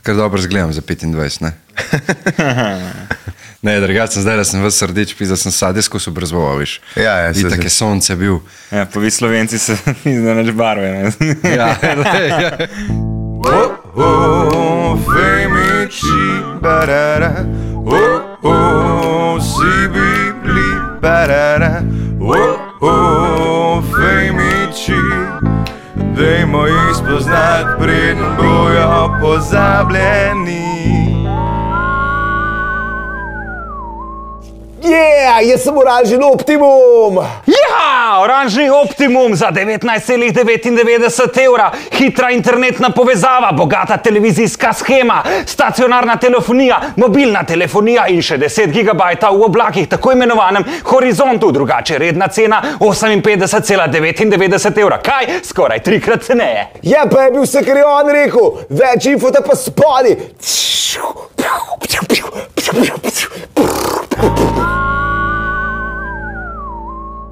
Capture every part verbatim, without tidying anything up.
Kar dobro zgledam za petindvajset, ne? Ne, drugače sem zdaj, da sem vas srdeč pis, da sem sadijsko so brzvoval, viš. Ja, ja. I tak je sonce bil. Ja, pa vi Slovenci se ne neč barve, ne? Ja, ja. Oh, oh, femiči, barara, oh, oh, si bibli, barara, oh, oh, femiči, dajmo jih spoznat, preden bojo pozabljeni. Yeah, jaz sem oranžni Optimum! Ja, oranžni Optimum za devetnajst celih devetindevetdeset evra, hitra internetna povezava, bogata televizijska shema, stacionarna telefonija, mobilna telefonija in še deset gigabajta v oblakih, tako imenovanem horizontu, drugače redna cena oseminpetdeset celih devetindevetdeset evra. Kaj? Skoraj trikrat ceneje. Ja, pa je bil vse, kar je on rekel, več infota pa spodi.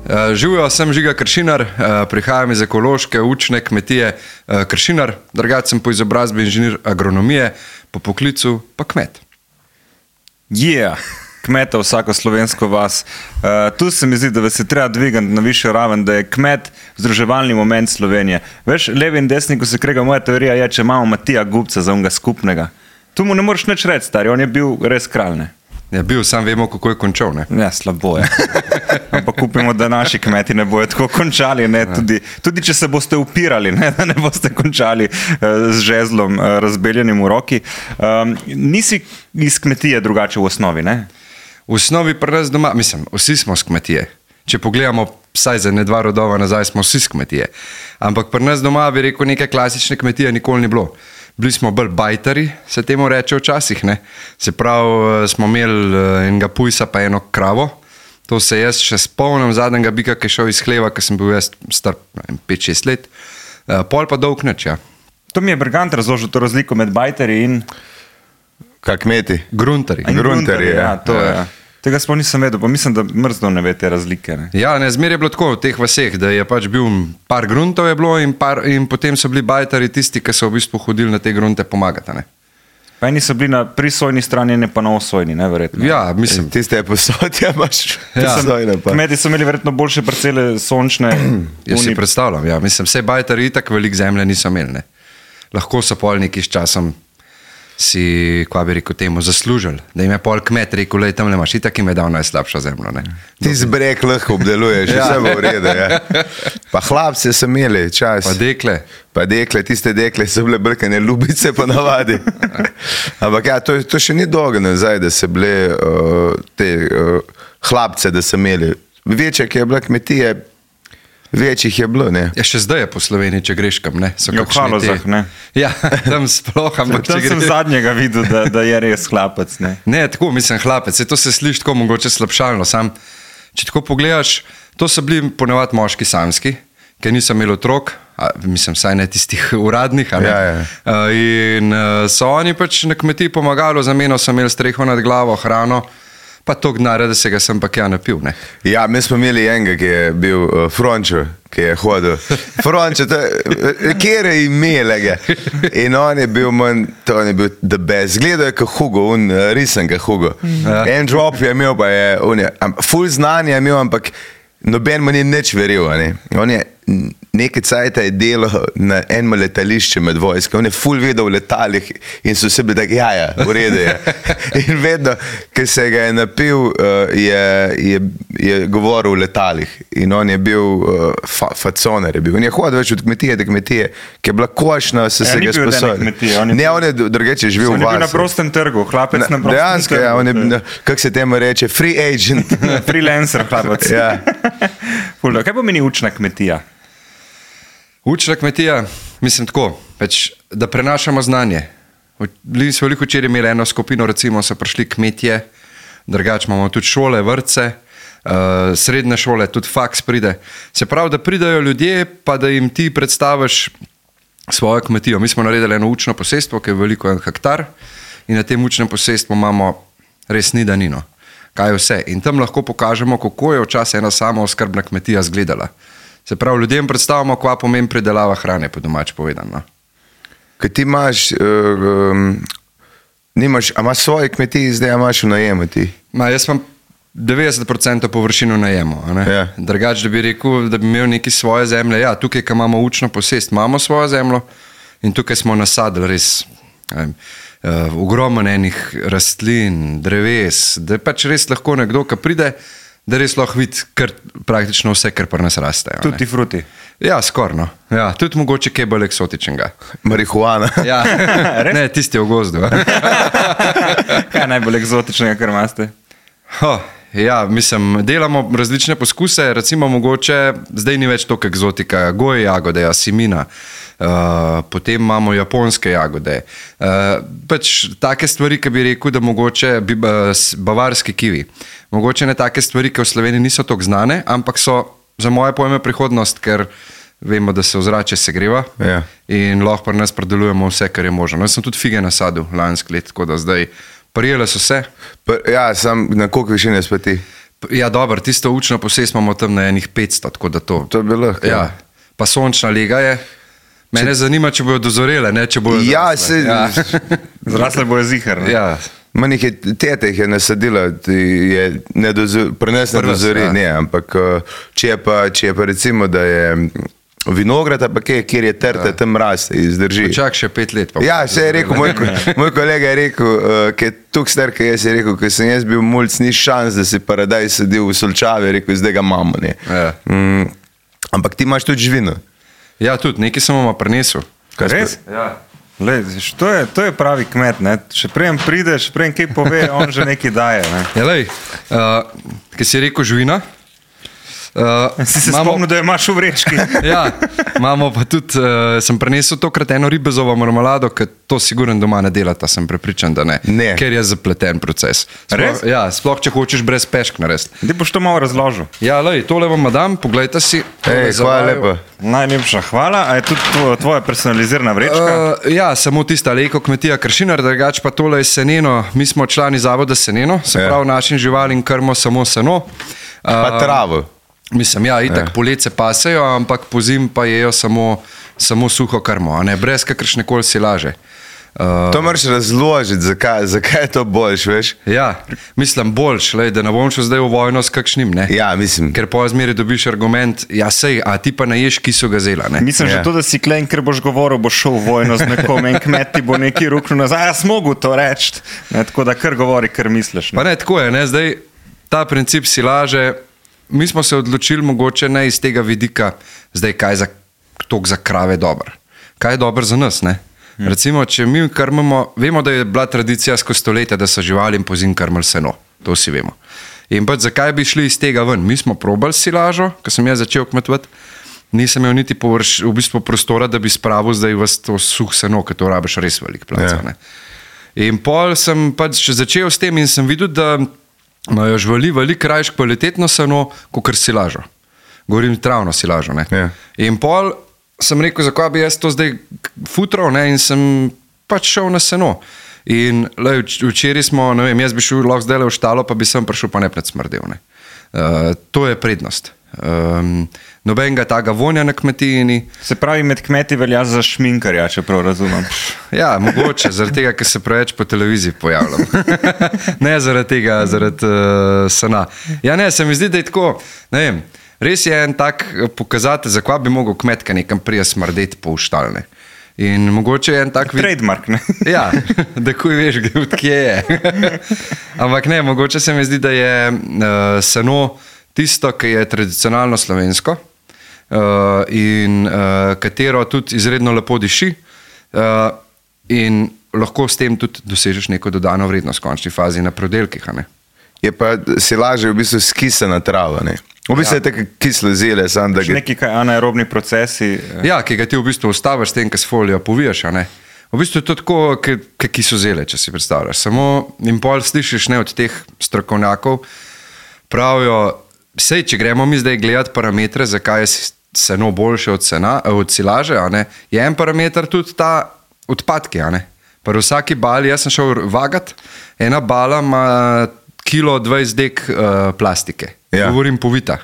Uh, Živijo, sem Žiga Kršinar, uh, prihajam iz ekološke učne kmetije uh, Kršinar, drugače sem po izobrazbi inženir agronomije, po poklicu pa kmet. Yeah, kmeta vsako slovensko vas. Uh, tu se mi zdi, da vas je treba dvigati na višjo raven, da je kmet združevalni moment Slovenije. Veš, levi in desni, ko se krega, moja teorija je, če imamo Matija Gubca za onega skupnega. Tu mu ne moreš nič reči, stari, on je bil res kralj, ne? Ja, bil, sam vemo, kako je končal, ne? Ja, slabo je. Ampak upimo, da naši kmeti ne bojo tako končali, ne? Tudi, tudi če se boste upirali, ne? Da ne boste končali uh, z žezlom uh, razbeljenim v roki. Um, nisi iz kmetije drugače v osnovi, ne? V osnovi pri nas doma, mislim, vsi smo z kmetije. Če pogledamo vsaj za ne dva rodova nazaj, smo vsi z kmetije. Ampak pri nas doma bi rekel, neke klasične kmetije nikoli ni bilo. Bili smo bolj bajtari, se temu reče včasih, ne. Se pravi, smo imeli enega pujsa pa eno kravo. To se jaz še spomnim zadnjega bika, ki je šel iz hleva, ko sem bil jaz star pet šest let. Pol pa dolg nič, ja. To mi je Bergant razložil, to razliko med bajtari in... Kak kmeti? Gruntari. Gruntari, ja. Ja, to je. Tega sploh nisem vedel, pa mislim, da mrzdo ne ve te razlike. Ne? Ja, ne, zmer je bilo tako v teh vaseh, da je pač bil par gruntov je bilo in, par, in potem so bili bajtari tisti, ki so v bistvu hodili na te grunte pomagati, ne. Pa eni so bili na prisojni strani, ne pa na osojni, ne, verjetno. Ja, mislim. Tiste je posodja, imaš prisojne pa. Kmeti so imeli verjetno boljše parcele sončne. Jaz si predstavljam, ja. Mislim, vse bajtari itak velik zemlje niso imeli, ne. Lahko so pol neki s časom si, kva bi rekel temu, zaslužili. Da jim je pol kmet rekel, lej, tamle imaš, itak im je dal najslabšo zemljo, ne. Ti zbrek lahko obdeluješ, ja. Vse bo v redu, ja. Pa hlapce so imeli čas. Pa dekle. Pa dekle, tiste dekle so bile brkane ljubice po navadi. Ampak ja, to, to še ni dolgo nazaj, da so bile uh, te uh, hlapce, da so imeli. Večja, ki je bila kmetije, večjih je bilo, ne. Ja, še zdaj je po Sloveniji, če greš kam, ne. So ja, v Halozah, te... ne. Ja, tam sploh, ampak tam če sem greš... zadnjega videl, da, da je res hlapec, ne. Ne, tako, mislim, hlapec, to se sliši tako mogoče slabšalno, sam, če tako pogledaš, to so bili ponavadi moški samski, ki niso imeli otrok, a, mislim, saj ne tistih uradnih, a ne. Ja, ja. Uh, in uh, so oni pač na kmetiji pomagali, za meno so imeli streho nad glavo, hrano, pa to gnare, da se ga sem pa kja napil, ne. Ja, mi smo imeli enega, ki je bil uh, Frončo, ki je hodil. Frončo, kjer je imelega. In on je bil manj, to on je bil the best. Gledal je kot Hugo, un risen kot Hugo. Ja. En drop je imel, pa je, on je, ful znanje je imel, ampak noben mu ni nič veril, ne. On je nekaj cajta je delo na enem letališče med vojske. On je ful vedel v letalih in so vsi bili tako, ja, ja, v redu je. In vedno, ker se ga je napil, je, je, je govoril v letalih. In on je bil fa, faconer. Je bil. On je hodil več od kmetije do kmetije, ki je bila košna, so se ga sposobili. Ne, on je drugače živel v vas. On je bil na prostem trgu, hlapec na, na prostem dejansko, trgu. Ja, on je, kako se temu reče, free agent. Freelancer hlapec. Ja. Kaj pomeni učna kmetija? Učna kmetija, mislim tako, več, da prenašamo znanje. Bili smo veliko včeraj imeli eno skupino, recimo so prišli kmetje, drugače imamo tudi šole, vrtce, uh, srednje šole, tudi faks pride. Se pravi, da pridajo ljudje, pa da jim ti predstaviš svojo kmetijo. Mi smo naredili eno učno posestvo, ki je veliko en hektar in na tem učnem posestvu imamo res ni danino. Kaj je vse? In tam lahko pokažemo, kako je včasih ena samooskrbna kmetija izgledala. Se pravi, ljudem predstavimo, kva pomeni pridelava hrane, po domač povedano. Kaj ti imaš uh, um, Nimaš, a imaš svoje kmetije, zdaj a imaš v najemu ti? Ma, jaz imam devetdeset procentov površino najemo. Ja. Drugač, da bi rekel, da bi imel neki svoje zemlje. Ja, tukaj, ko imamo učno posest, imamo svojo zemljo in tukaj smo nasadili res um, uh, ogromno enih rastlin, dreves, da je pač res lahko nekdo, ki pride, da res lahko vidi kar, praktično vse, kar pri nas raste. Tutti frutti. Ja, skorno. Ja, tudi mogoče kaj bolj eksotičnega. Marihuana. Ja, ne, tisti v gozdu. Kaj je najbolj eksotičnega, kar imate? Oh, ja, mislim, delamo različne poskuse, recimo mogoče, zdaj ni več toliko eksotika, goje jagode, asimina, uh, potem imamo japonske jagode. Uh, pač take stvari, ki bi rekel, da mogoče bi, uh, bavarski kivi. Mogoče ne take stvari, ki v Sloveniji niso toliko znane, ampak so za moje pojme prihodnost, ker vemo, da se ozračje segreva Ja. in lahko pri nas predelujemo vse, kar je možno. Jaz sem tudi fige nasadil lansko let, tako da zdaj prijele so se. Pa, ja, sam na koliko višine speti? Ja, dobro, tisto učno posest imamo tam na enih petsto, tako da to. To bi lahko. Ja, pa sončna lega je. Mene če... zanima, če bojo dozorele, ne če bojo Ja, zrasle. se... Ja. Zrasle bojo zihar. Ne? Ja. Manj jih je, tete jih je nasadila, je ne dozor, pri nas ne Pri nas, dozori, ja. ne, ampak uh, če je pa, če je pa recimo, da je vinograd, pa kje, kjer je trte, ja. tam raste, izdrži. Čak še pet let. Pa Ja, se je rekel, moj, moj kolega je rekel, uh, ki je tukaj star, ki jaz je rekel, ker sem jaz bil mulc, ni šans, da si paradaj sadil v Solčavi, je rekel, zdaj ga imamo. Ne. Ja. Mm, ampak ti imaš tudi živino. Ja, tudi, nekaj sem vam prinesel. Res? Ja. Lej, to, je, to je pravi kmet. Ne? Še prejem pride, še prejem kaj pove, on že nekaj daje. Ne? Ja, lej, uh, ki si rekel živina. Uh, Si se spomnil, da jo imaš v vrečki. Ja, imamo pa tudi, uh, sem prenesel tokrat eno ribezovo marmelado, ker to sigurno doma ne delata, sem prepričan, da ne. Ne. Ker je zapleten proces. Sploh, Res? ja, sploh če hočeš brez pešk narediti. Ti boš to malo razložil. Ja, lej, tole vam dam, poglejte si. Tole Ej, za hvala vaju. lepa. Najlepša hvala. A je tudi tvoja, tvoja personalizirana vrečka? Uh, ja, samo tista Leko kmetija Kršinar, drugač pa tole je seneno. Mi smo člani zavoda Seneno, se Ja. pravi našim živalim krmo samo seno. Pa travo. Mislim, ja, itak Ja. poletje pasejo, ampak po zim pa jejo samo, samo suho krmo, a ne, brez kakršne koli silaže. Uh, To moraš razložiti, zakaj, zakaj je to boljš, veš? ja, mislim boljš, lej, da ne bom šel zdaj v vojno s kakšnim, ne. Ja, mislim. Ker po zmeri dobiš argument, ja sej, a ti pa ne ješ, ki so gazela, ne. Mislim, Ja. že to, da si klen, ker boš govoril, boš šel v vojno z nekom in kmet ti bo neki ruknil nazaj. Jaz mogu to reči. Ne, tako da kar govori, kar misliš. Ne. Pa ne, tako je, ne, zdaj ta princip silaže, mi smo se odločili mogoče ne iz tega vidika, zdaj kaj za, tok za krave dober. Kaj je dober za nas, ne? Hmm. Recimo, če mi krmimo, vemo, da je bila tradicija skozi stoletja, da so živali in pozim krmili seno, to vsi vemo. In pa zakaj bi šli iz tega ven? Mi smo probali silažo, ko sem jaz začel kmetovati, nisem imel niti površ, v bistvu prostora, da bi spravil zdaj v to suh seno, ker to rabiš res velik plac. Ja. Ne? In pol sem pač začel s tem in sem videl, da imajo živali veliko rajš kvalitetno seno, kot silažo. Govorim travno silažo. Ne? Ja. In pol sem rekel, zakaj bi jaz to zdaj futral, ne? In sem pač šel na seno. In lej, včeraj smo, ne vem, jaz bi šel lahko zdaj le v štalo, pa bi sem prišel pa nepred smrdel. Ne? Uh, to je prednost. Um, nobenega taga vonja na kmetijini. Se pravi, med kmeti velja za šminkarja, če prav razumem. Ja, mogoče, zaradi tega, ker se preveč po televiziji pojavljam. Ne zaradi tega, zaradi uh, sena. Ja, ne, se mi zdi, da je tako, ne vem, res je en tak pokazatelj, zakaj bi mogel kmetka nekam prija smrdeti po uštalne. In mogoče je en tak vid... Trademark, ne? Ja, da kuj veš, kje je. Ampak ne, mogoče se mi zdi, da je uh, seno tisto, ki je tradicionalno slovensko uh, in uh, katero tudi izredno lepo diši uh, in lahko s tem tudi dosežeš neko dodano vrednost v končni fazi na prodelkih. a ne. Je pa silaža v bistvu skisana trava, ne? V bistvu je tako kislo zele, samo da Še ga... neki kaj anaerobni procesi. eh, Ja, ki ga ti v bistvu ustaviš s tem, kaj s folijo povijaš. a ne. V bistvu je to tako, kot kisozele, če si predstavljaš. Samo in pol slišiš ne od teh strokovnjakov, pravijo, sej, če gremo mi zdaj gledati parametre, zakaj je seno boljše od, sena, od silaže, a ne, je en parameter tudi ta odpadki. a ne. Pri vsaki bali, jaz sem šel vagat, ena bala ima kilo dvajset dek uh, plastike. Ja. Govorim povita.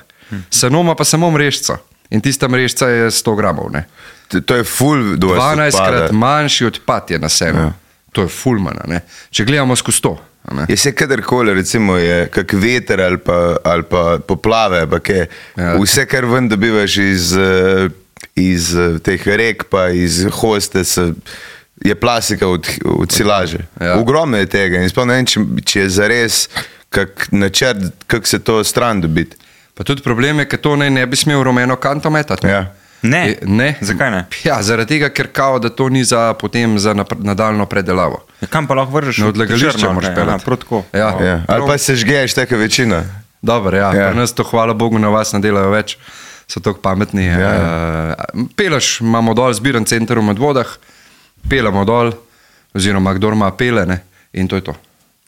Seno ima pa samo mrežco. In tista mrežca je sto gramov. Ne. To- To je ful, da vas dvanajstkrat odpada. manjši odpad je na senu. Ja. Ja. To je fulmana, ne. Če gledamo skozi to. Je se kadarkoli, recimo, je kak veter ali pa, ali pa poplave, pa kaj, ja. Vse, kar ven dobivaš iz, iz teh rek, pa iz hoste, se, je plastika od, od silaže. Ja. Ogromno je tega in sploh ne vem, če, če je zares kak načrt, kak se to stran dobiti. Pa tudi problem je, ker to naj ne bi smel rumeno kanto metati. Ja. Ne. E, ne. Zakaj ne? Ja, zaradi tega, ker kao, da to ni za, potem za nadaljno predelavo. Ja, kam pa lahko vržeš? Na odlagališče moraš pelati. Ja. Ja. Ali pa se žgeješ taka večina. Dobro, ja. ja. Pri nas to, hvala Bogu, na vas ne delajo več. So tako pametni. Ja. Uh, pelaš, imamo dol zbiran center v Medvodah, pelamo dol, oziroma kdor ima pele, ne, in to je to.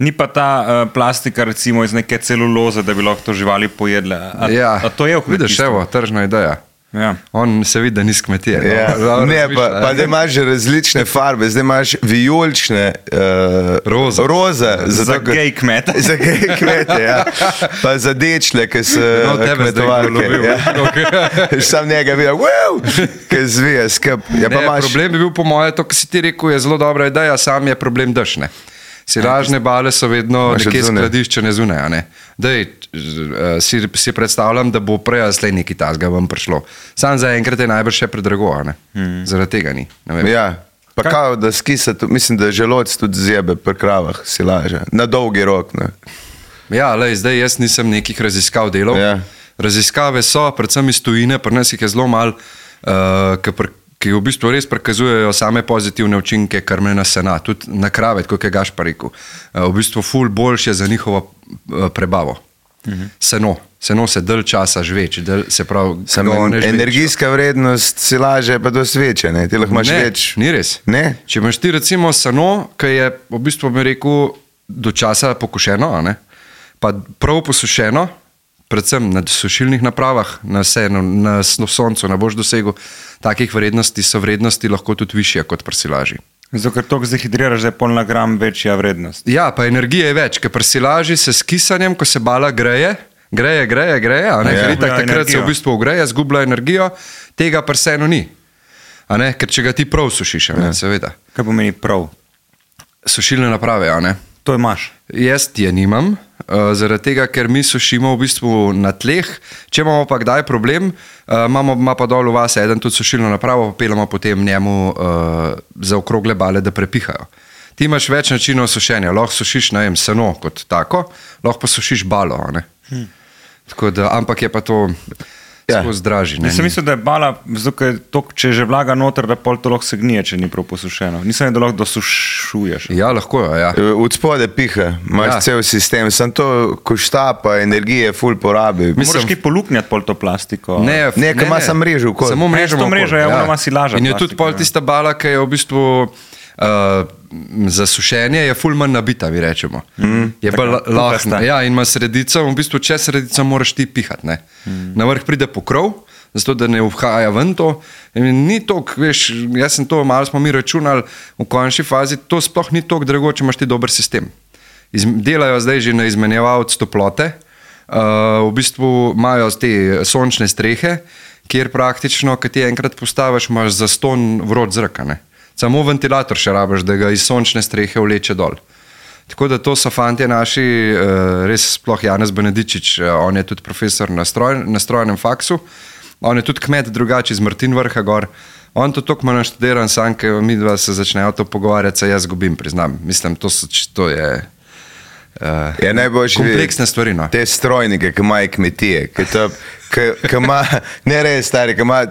Ni pa ta uh, plastika recimo iz neke celuloze, da bi lahko to živali pojedle. A, ja, a to je v kmetijstvu? Vidiš, evo, tržna ideja. Ja. On se vidi, da ni s kmetije. Ja. No, ne, pa, pa da imaš različne farbe, zdaj imaš vijolične uh, roze, roze za, za gej kmete. Za gej kmete, ja. Pa za dečle, ki so no, kmetovalke. Ja. Sam njega videl, wow, ki zvije skup. Ja, ne, imaš... Problem bi bil po moje, to, ki si ti rekel, je zelo dobra ideja, sam je problem dešne. Silažne bale so vedno nekje skladiščene zunaj, ne. Dej, si, si predstavljam, da bo prej slej nekaj tazga vam prišlo. Sam za enkrat je najbrž še predrago, ne. Hmm. Zaradi tega ni. Ja, pa Kaj? Kao, da skisa, mislim, da želoc tudi zjebe pri kravah silaže. Na dolgi rok, ne. Ja, lej, zdaj jaz nisem nekih raziskav delal. Ja. Raziskave so, predvsem iz tujine, pri nas jih je zelo malo, uh, ki pri ki v bistvu res prikazujejo same pozitivne učinke krmljena sena, tudi na krave, kot je Gašpar rekel. V bistvu ful boljše za njihovo prebavo. Uh-huh. Seno. Seno se dalj časa žveč, del, se pravi... Energijska vrednost silaže pa dosti večja, ne? Ti lahko imaš ne, več... ni res. Ne? Če imaš ti recimo seno, ki je v bistvu, bi rekel, do časa pokošeno, ne? Pa prav posušeno, predvsem na sušilnih napravah, na senu, na soncu, ne boš dosegel takih vrednosti, so vrednosti lahko tudi višje kot pri silaži. Zato, ker toliko zahidriraš, da je pol na gram večja vrednost. Ja, pa energije je več, ker pri silaži se s kisanjem, ko se bala greje, greje, greje, greje, a ne, ja, ker itak ja, takrat energijo. Se v bistvu ugreje, zgublja energijo, tega pri senu ni. A ne, ker če ga ti prav sušiš, ja. Ne, seveda. Kaj pomeni prav? Sušilne naprave, a ne. To imaš? Jaz je nimam, uh, zaradi tega, ker mi sušimo v bistvu na tleh. Če imamo pa kdaj problem, uh, imamo ima pa dol v vas eden tudi sušilno napravo, pa pelamo potem njemu uh, za okrogle bale, da prepihajo. Ti imaš več načinov sušenja. Lahko sušiš, ne vem, seno kot tako, lahko pa sušiš balo, ne. Hmm. Tako da, ampak je pa to... Ja. Zdraži, Jaz sem mislil, da je bala, zato, tok, če je že vlaga noter, da pol to lahko se gnije, če ni prav posušeno. Nisem, da lahko dosušuješ. Ja, lahko je, ja. Od spode piha, imaš ja. Cel sistem, sem to košta, pa energije ful porabi. Moraš kaj poluknjati pol to plastiko. Ne, ne, ne ima sam mrežo. Samo mrežo, mrežo, ja, ona ima silaža. In je tudi pol tista bala, ki je v bistvu... Uh, za sušenje je ful manj nabita, vi rečemo. Mm, je pa lahna. Ja, in ima sredico, v bistvu čez sredico moraš ti pihati, ne. Mm. Na vrh pride pokrov, zato da ne vhaja ven to. In ni tok, veš, jaz sem to, malo smo mi računali v končni fazi, to sploh ni tok drago, če imaš ti dober sistem. Iz, delajo zdaj že na izmenjevalc toplote, uh, v bistvu imajo te sončne strehe, kjer praktično, kad ti enkrat postaviš, imaš zaston vrod zraka, ne. Samo ventilator še rabiš, da ga iz sončne strehe vleče dol. Tako da to so fantje naši, res sploh Janez Benedičič, on je tudi profesor na, stroj, na strojnem faksu, on je tudi kmet drugače iz Martin Vrha gor, on to toliko manj študiran, sam, ker mi dva se začnejo to pogovarjati, se jaz gubim, priznam. Mislim, to, so, to je... Uh, je kompleksne stvari, no. Te strojnike, ki imajo kmetije, ki to, ki, ki ima, ne res stari, ki ima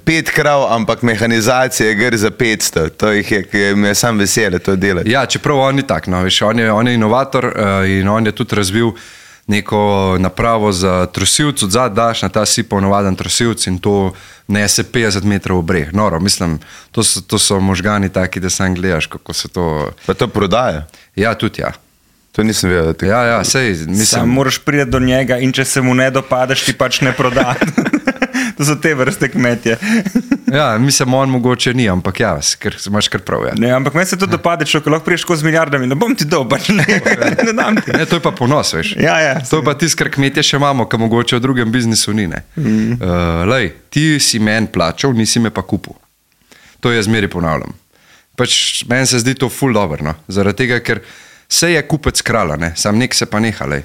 pet krav, ampak mehanizacija gre za petsto, to jih je, ki me sam vesele to delati. Ja, čeprav on ni tak, no, veš, on je, on je inovator uh, in on je tudi razvil neko napravo za trosilc, odzad daš na ta sipov navaden trosilc in to nese petdeset metrov v breh. Noro, mislim, to so, to so možgani taki, da sam gledaš, kako se to... Pa to prodaja? Ja, tudi ja. To nisem vedel. Te... Ja, ja, sej, mislim... Sam moraš priti do njega in če se mu ne dopadeš, ti pač ne proda. To so te vrste kmetje. Ja, mislim, on mogoče ni, ampak ja, ker imaš kar prav. Ja. Ne, ampak meni se to dopade, če lahko priješ z milijardami, ne bom ti dal, pač ne, ne dam ti. Ne, to je pa ponos, veš. Ja, ja. To je pa tisto, kar kmetje še imamo, kar mogoče v drugem biznisu ni, ne. Mm. Uh, lej, ti si meni plačal, nisi me pa kupil. To je zmeri ponavljam. pač meni se zdi to ful dobro, no? Zaradi tega, ker se je kupec krala, ne? Sam nek se pa nehalej.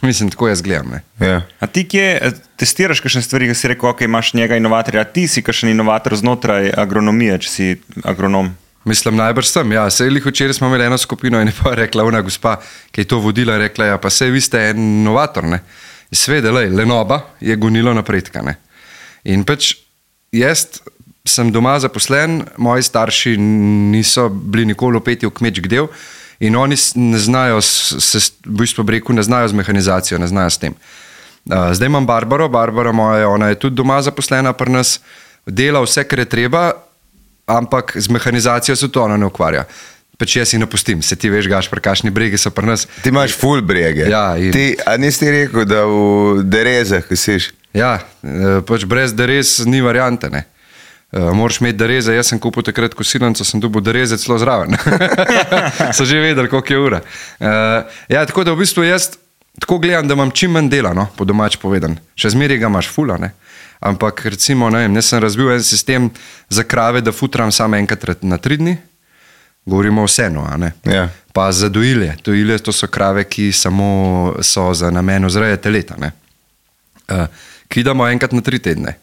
Mislim, tako jaz gledam. Ne? Ja. A ti kje testiraš kakšne stvari, ki si rekel, ok, imaš njega inovatorja, a ti si kakšen inovator znotraj agronomije, če si agronom? Mislim, najbrž sem, ja. Sej lih včeraj smo imeli eno skupino in je pa rekla ona gospa, ki je to vodila, rekla, ja, pa sej vi ste en inovator, ne. Svede, lej, lenoba je gonilo napredka, ne. In pač jaz sem doma zaposlen, moji starši niso bili nikoli upeti v kmečk del in oni ne znajo, se, v bistvu breku, ne znajo z mehanizacijo, ne znajo s tem. Zdaj imam Barbaro, Barbara moja, ona je tudi doma zaposlena pri nas, dela vse, kar je treba, ampak z mehanizacijo se to ona ne ukvarja. Pač jaz si napustim, se ti veš, Gašpar, kakšni bregi so pri nas. Ti imaš ful brege. Ja, in... ti, a nisi rekel, da v derezah, ki siš? Ja, pač brez derez ni variante, ne. Moraš imeti dereze, jaz sem kupil takrat kosilnico, sem dobil dereze celo zraven. So že vedeli, koliko je ura. Ja, tako da v bistvu jaz tako gledam, da imam čim manj dela, no, po domač povedan. Še zmeraj ga imaš fula, ne. Ampak recimo, ne vem, jaz sem razbil en sistem za krave, da futram samo enkrat na tri dni. Govorimo o senu, a ne. Ja. Pa za dojilje. Dojilje to so krave, ki samo so za namen vzreje teleta, ne. Ki damo enkrat na tri tedne.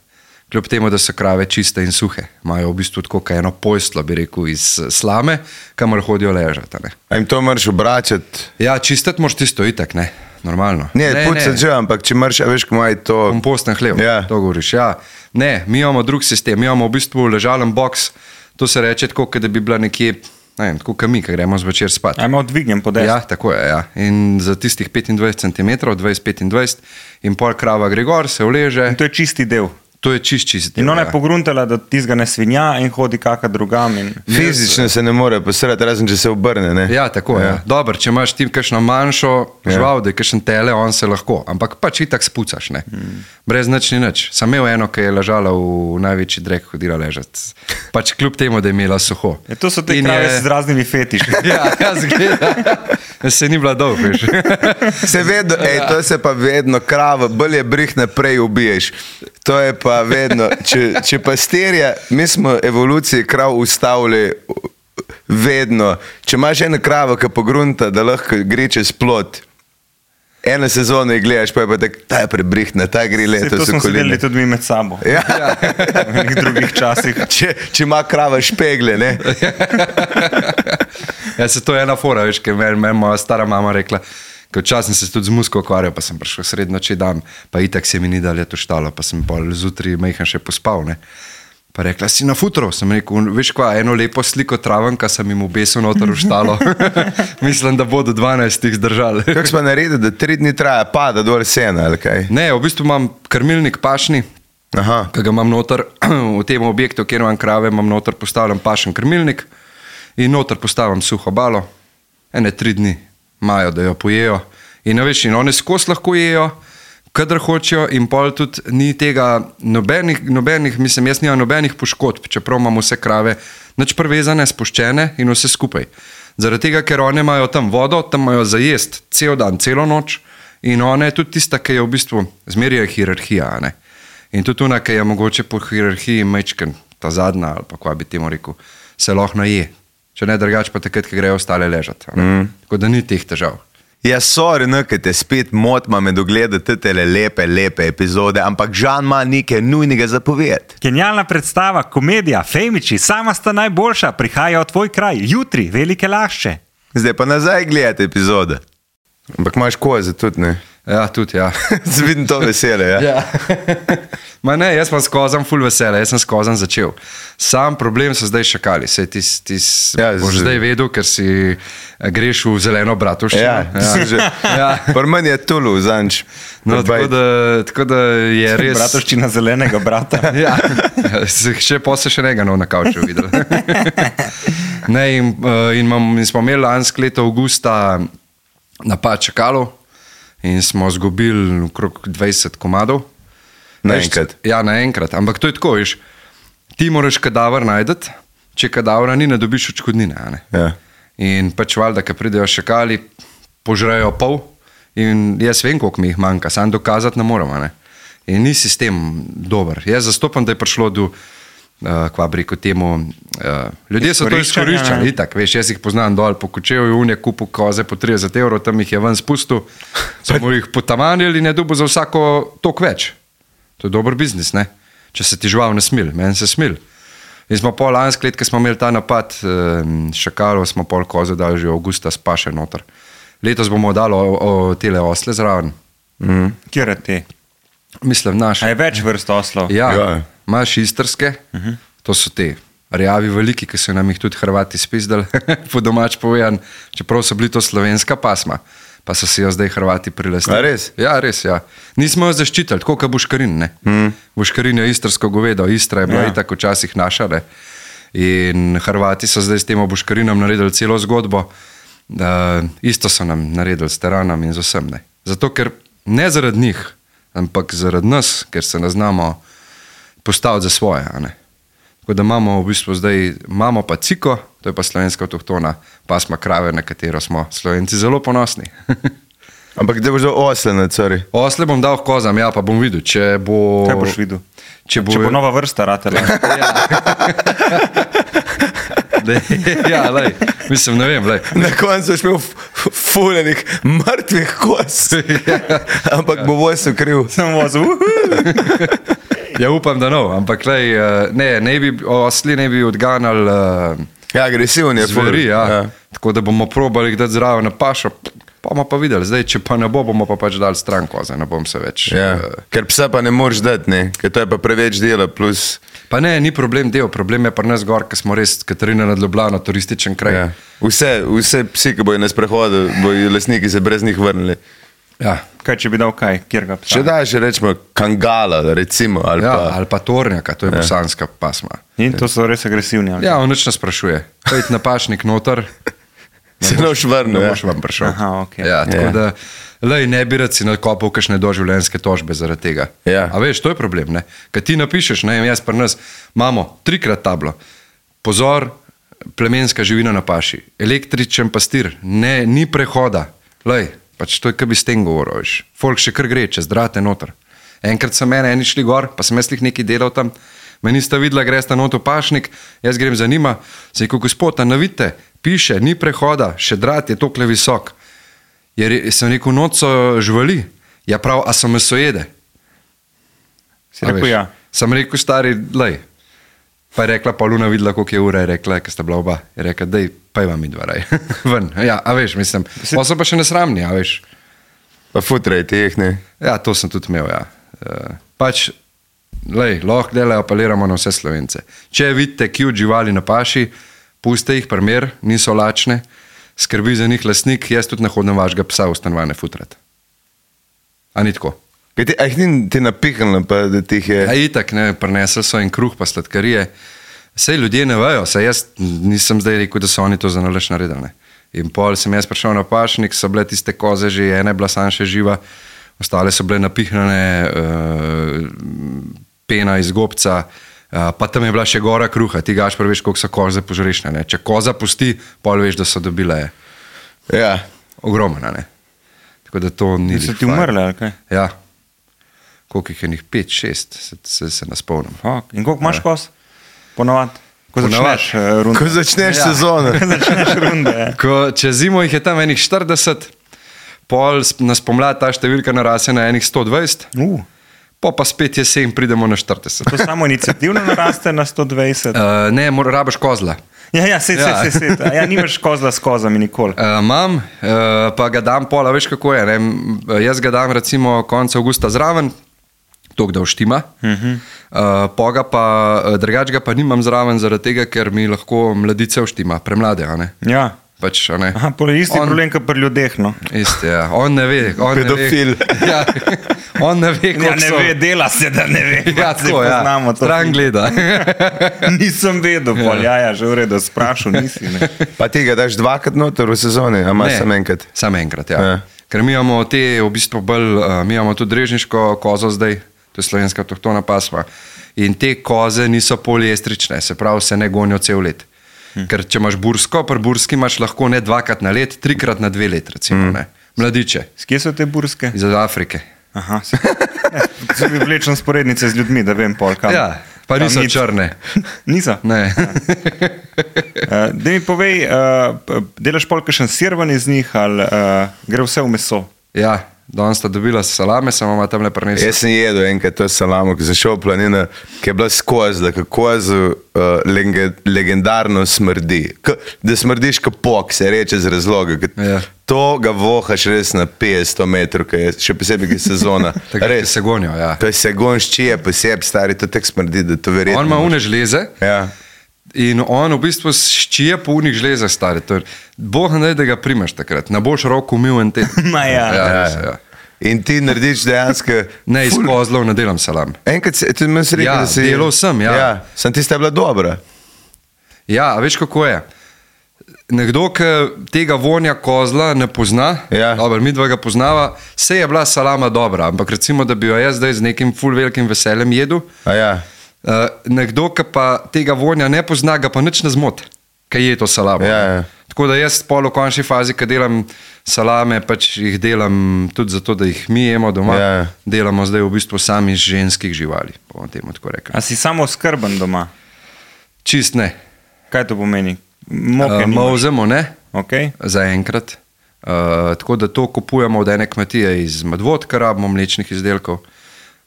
Kljub temu, da so krave čiste in suhe. Imajo v bistvu tako eno pojslo, bi rekel, iz slame, kamor hodijo ležati. Ne. A jim to moraš obračati? Ja, čistiti moraš tisto itak, ne. Normalno. Ne, ne pucati že, ampak če moraš, veš, ko imajo to... Komposten hlev, ja. To govoriš. Ja. Ne, mi imamo drug sistem, mi imamo v bistvu ležalen boks, to se reče tako, da bi bila nekje, ne vem, tako kami, ko gremo zvečer spat. A ima odvignem po deset. Ja, tako je, ja. In za tistih petindvajset centimetrov, dvajset petindvajset in pol krava gre gor, se uleže. In to je čisti del. To je čist čist del. In ona je ja. pogruntala, da tizga ne svinja in hodi kaka drugam. In... Fizično se ne more posrati, razen če se obrne, ne? Ja, tako je. Ja. Ja. Dobar, če imaš ti kakšno manjšo žival, ja. Da je kakšen tele, on se lahko. Ampak pač itak spucaš, ne. Hmm. Brez nič ni nič. Sam imel eno, ki je ležala v največji drek, hodila ležati. Pač kljub temu, da je imela suho. Ja, to so te in krave je... z raznimi fetiši. Ja, ja, zgleda. Se ni bila dolg, veš. Se vedno, ej, to se pa vedno krava, bolj je brih naprej ubiješ. To je pa vedno, če, če pastirja, mi smo evoluciji krav ustavili vedno. Če imaš eno kravo, ki pogrunta, da lahko gre čez plot, eno sezono jih gledaš, pa je pa tak, ta je prebrihna, ta gre leto to so smo koline. sedeli tudi mi med sabo. Ja. V nekih drugih časih. Če, če ima krava špegle, ne? Ja, se to je ena fora, veš, ker meni men moja stara mama rekla, ker včasih sem se tudi z musko ukvarjal, pa sem prišel srednoči dan, pa itak se mi ni dalje to štalo, pa sem pol zjutraj majhen še pospal, ne. Pa rekla, si na futro, sem rekel, veš kva, eno lepo sliko travenka sem jim obesil noter v štalo. Mislim, da bodo dvanajstih zdržali. Kako smo naredili, da tri dni traja pada dol sena, ali kaj? Ne, v bistvu imam krmilnik pašni, Aha. ki ga imam noter v tem objektu, kjer imam krave, imam noter postavljam pašen krmilnik in noter postavljam suho balo, ene tri dni imajo, da jo pojejo. In veš, in one skos lahko jejo, kadar hočejo in pol tudi ni tega nobenih, nobenih, mislim, jaz nimam nobenih poškodb, čeprav imam vse krave nič prevezane, spuščene in vse skupaj. Zaradi tega, ker one imajo tam vodo, tam imajo za jest cel dan, celo noč in ona je tudi tista, ki je v bistvu zmerja hierarhija, ne. In tudi ona, ki je mogoče po hierarhiji mečken, ta zadnja ali pa kva bi temu rekel, se lahko naje. Če ne drugač pa takrat, ki grejo ostale ležati. Mm. Tako da ni teh težav. Ja, sorry, ne, ker te spet motma med ogledati tele lepe, lepe epizode, ampak Žan ima nekaj nujnega za povedati. Genialna predstava, komedija, Femiči, sama sta najboljša, prihaja v tvoj kraj, jutri, Velike Lašče. Zdaj pa nazaj gledati epizode. Ampak imaš koze tudi, ne? Ja, tudi, ja. Vidim to vesele, ja? Ja. Ma ne, jaz sem skozam ful vesele, jaz sem skozam začel. Sam problem so zdaj šakali, sej ti, ti ja, boš z... zdaj vedel, ker si greš v zeleno bratovščino. Ja, ja. Že... ja. Prmen je Tulu, zanč. No, tako da, tako da je res... Bratovščina zelenega brata. Ja, še posle še njega nov na kavču videl. Ne, in, in, mam, in smo imeli lansko leto avgusta napad čakalov in smo zgubili okrog dvajset komadov. Naenkrat? Ja, naenkrat. Ampak to je tako, viš, ti moraš kadaver najdeti, če kadavra ni, ne dobiš odškodnine. Ne? Ja. In pač valjda, ko pridejo šakali, požrejo pol in jaz vem, koliko mi jih manjka, sam dokazati ne moramo. Ne? In ni sistem dober. Jaz zastopam, da je prišlo do uh, kva bi rekel temu, uh, ljudje so to Izkoriščanja, izkoriščali, ne. itak, veš, jaz jih poznam dol po Kočevju, unje kupu koze po trideset evrov, tam jih je ven spustil, samo jih potamanili in je dobil za vsako tok več. To je dober biznis, ne? Če se ti žival ne smil, meni se smil. In smo pol lansko let, ko smo imeli ta napad, um, šakalov, smo pol koze dali že avgusta spaše noter. Letos bomo dali o, o tele osle zraven. Mm. Kjer je te? Mislim, naše. A je več vrst oslov? Ja, Ja. imaš istrske, uh -huh. to so te rjavi veliki, ki so nam jih tudi Hrvati spizdali, po domač povedan, čeprav so bili to slovenska pasma, pa so si jo zdaj Hrvati prilastili. A res? Ja, res, ja. Nismo jo zaščitili, tako kot Buškarin, ne. Mm. Buškarin je istrsko govedo, Istra je bila Ja. ja. itak včasih naša, ne. In Hrvati so zdaj s tem Buškarinom naredili celo zgodbo, da isto so nam naredili s teranom in z vsem, ne. Zato, ker ne zaradi njih, ampak zaradi nas, ker se ne znamo postaviti za svoje. A ne? Tako da imamo v bistvu zdaj, imamo pa ciko, to je pa slovenska avtohtona pasma krave, na katero smo Slovenci zelo ponosni. Ampak da boš dal osle na cari. Osle bom dal kozam, ja, pa bom videl, če bo... Kaj boš videl? Če bo, Če bo nova vrsta ratela. Dej, ja, lej, mislim, ne vem, lej. Na koncu boš imel fuljenih mrtvih kos. Ampak bo vojso kriv. Sem vozil. Ja, upam, da no, ampak lej, ne, ne bi, osli ne bi odganjali uh, Ja, agresiven je ful. zveri, ja. Ja. ja. Tako da bomo probali dati zraven na pašo, pa bomo pa videli. Zdaj, če pa ne bo, bomo pa pač dali stran koze, ne bom se več. Ja. Uh, Ker psa pa ne moreš dati, ne? Ker to je pa preveč dela, plus... pa ne, ni problem del, problem je pa nas gor, ker smo res Katarina nad Ljubljano, turističen kraj. Ja. Vse, vse psi, ki bojo na sprehodu, bojo lastniki se brez njih vrnili. Ja. Kaj, če bi dal kaj? Kjer ga psa? Če daš, rečemo, kangala, recimo, ali Ja, pa... ali pa tornjaka, to je ja. bosanska pasma. In to so res agresivni. ali? Ja, on nič ne sprašuje. Pojdi na pašnik noter, Se ne boš vrnil, ne ja. boš vam prišel. Aha, okej. Ja, tako Ja. da, lej, ne bi rad si nakopal kakšne doživljenjske tožbe zaradi tega. Ja. A veš, to je problem, ne? Kad ti napišeš, ne vem, jaz pri nas imamo trikrat tablo. Pozor, plemenska živina na paši, električen pastir, ne, ni prehoda. Lej, pač to je, kaj bi s tem govoril, veš. Folk še kar gre, čez drate noter. Enkrat so mene eni šli gor, pa sem jaz jih nekaj delal tam, me nista videla, greš ta not v pašnik, jaz grem za njima, se je kot gospod, a navite, piše, ni prehoda, še drat je tokle visok. Je, re- sem rekel, noč so živali, ja prav, a so mesojede. Si A rekel veš, ja. Sem rekel, stari, lej. Pa je rekla, Pauluna videla, koliko je ura, je rekla, ker sta bila oba. Je rekla, dej, pa ima mi dva raj. Ven, ja, a veš, mislim, pa so pa še nesramni, a veš. Pa futraj teh, ne? Ja, to sem tudi imel, ja. Uh, pač, lej, lahko delajo, apeliramo na vse Slovence. Če vidite cute živali na paši, puste jih primer, niso lačne, skrbi za njih lastnik, jaz tudi ne hodim vašega psa v stanovanje futrat. A ni tako? Kaj ti, a jih ni ti napihnilo, pa da ti jih je... Ja, itak, ne, prinesli so en kruh pa sladkarije. Sej ljudje ne vejo, sej jaz nisem zdaj rekel, da so oni to za nalaž naredili. Ne. In pol sem jaz prišel na pašnik, so bile tiste koze že, ena je bila sam še živa, ostale so bile napihnjene, uh, pena iz gobca, uh, pa tam je bila še gora kruha, ti gaš prviš, koliko so koze požrešne. Če koza pusti, pol veš, da so dobile Ja. ogromna. Ne. Tako da to ni... So glih ti fajn. umrle, ali kaj? Ja. Koliko jih je njih? Pet, šest, se, se, se ne spomnim. Fuck. In koliko imaš kos? Ponovadi. Ko Ponavad. začneš uh, rundo. Ko začneš Ja. sezono. Ko začneš runde. Ja. Ko, čez zimo jih je tam enih štirideset, pol s- na spomlad ta številka narase na enih sto dvajset, Uh, po pa spet jesen pridemo na štirideset. to samo iniciativno naraste na sto dvajset. Uh, ne, mora, rabaš kozla. Ja, ja, se, Ja. se, se, se. Ja, nimaš kozla s kozami nikoli. Uh, imam, uh, pa ga dam pola, veš kako je. Ne? M, Jaz ga dam recimo konec avgusta zraven, tok da vštima. Uh -huh. uh, poga pa, uh, drugač ga pa nimam zraven zaradi tega, ker mi lahko mladice vštima, premlade, a ne? Ja. Pač, a ne? Aha, pol je isti On- problem, kot pri ljudeh. No. Isti, ja. On ne ve. On Pedofil. Ne ve, ja, on ne ve, Ja, koliko ne so. ve, dela se, da ne ve. Ja, Zdaj tako, ja. poznamo to. Stran gleda. Nisem vedel, pol, ja, ja, že v redu, sprašal nisi. Ne. Pa ti ga daš dvakrat noter v sezoni, a imaš samo enkrat. Samo enkrat, ja. Ja. Ker mi imamo te, v bistvu bolj, uh, mi imamo tudi drežniško kozo zdaj, to je slovenska avtohtona pasma. In te koze niso poliestrične, se pravi, se ne gonijo cel let. Hm. Ker če imaš bursko, pri burski imaš lahko ne dvakrat na let, trikrat na dve let, recimo. Hm. Mladiče S kje so te burske? iz Afrike. Aha, se, ne, se mi vlečem sporednice z ljudmi, da vem pol kam. Ja, Pa niso Kamnic. črne. Niso. Ne. Uh, da mi povej, uh, delaš pol kakšen sir ven iz njih ali uh, gre vse v meso? Ja, danes sta dobila salame, samo ima tam le prinesel. Jaz sem jedel enkrat to salamo, ko sem šel v planino, ki je bila skozi, da kozu uh, lege, legendarno smrdi. K, da smrdiš kot pok, se reče z razloga. Ja. To ga vohaš res na petsto metrov, ki je, še posebej, ki je sezona. Takrat Res. se gonijo, ja. To je segon ščije posebej, stari, to tek smrdi, da to verjetno. On ima une žleze. Ja. In on v bistvu ščije po unih žlezah stari. Boh ne, da ga primaš takrat. Ne boš roko umil en teden. Ma ja. Ja, Ja, res, ja. ja. In ti narediš dejansko. Ne, iz kozlov ne delam salam. Enkrat si, ti mi si rekel, Ja, da si. delal sem, ja. ja. Sem tista bila dobra. Ja, a veš kako je? Nekdo, ki tega vonja kozla ne pozna, Ja. dobro, mi dva ga poznava, se je bila salama dobra, ampak recimo, da bi jo jaz zdaj z nekim ful velikim veseljem jedel, A ja. uh, nekdo, ki pa tega vonja ne pozna, ga pa nič ne zmot, ki je to salamo. Ja, ja. Tako da jaz pol v končni fazi, ko delam salame, pač jih delam tudi zato, da jih mi jemo doma. Ja, ja. Delamo zdaj v bistvu sami iz ženskih živali, bomo temu tako rekli. A si samo skrben doma? Čist ne. Kaj to pomeni? Moke Uh, nimaš? Molzemo ne. Okay. Zaenkrat. Uh, tako da to kupujemo od ene kmetije iz Medvod, kar rabimo mlečnih izdelkov,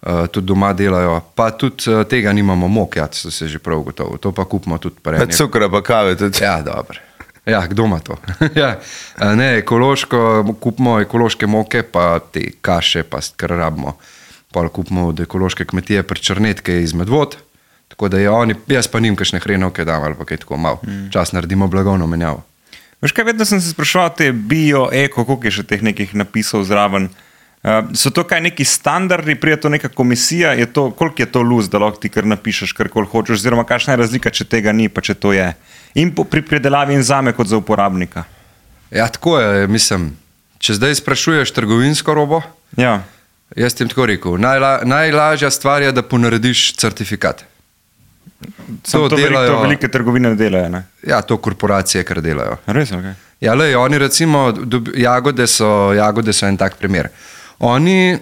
uh, tudi doma delajo, pa tudi uh, tega nimamo mok, ja, to se že prav gotovo, to pa kupimo tudi Pa prej. cukra pa kave tudi. Ja, dobro. Ja, kdo ima to? ja. uh, ne, ekološko, kupimo ekološke moke, pa te kaše, pa kar rabimo. Pa kupimo od ekološke kmetije pri Črnetke iz Medvod, tako da je oni, jaz pa nim kakšne hrenovke dam ali pa kaj tako malo. Mm. Čas naredimo blagovno menjavo. Veš kaj, vedno sem se spraševal te bio, eko, koliko je še teh nekih napisov zraven. Uh, so to kaj neki standardi, prije to neka komisija, je to, koliko je to luz, da lahko ti kar napišeš, kar kol hočeš, oziroma kakšna je razlika, če tega ni, pa če to je. In po, pri predelavi in zame kot za uporabnika. Ja, tako je, mislim, če zdaj sprašuješ trgovinsko robo, Ja. jaz ti tako rekel, najla, najlažja stvar je, da ponarediš certifikat. To, to, velik, to velike trgovine delajo, ne? Ja, to korporacije, kar delajo. Res, ok. Ja, lej, oni recimo, dob, jagode, so, jagode so en tak primer. Oni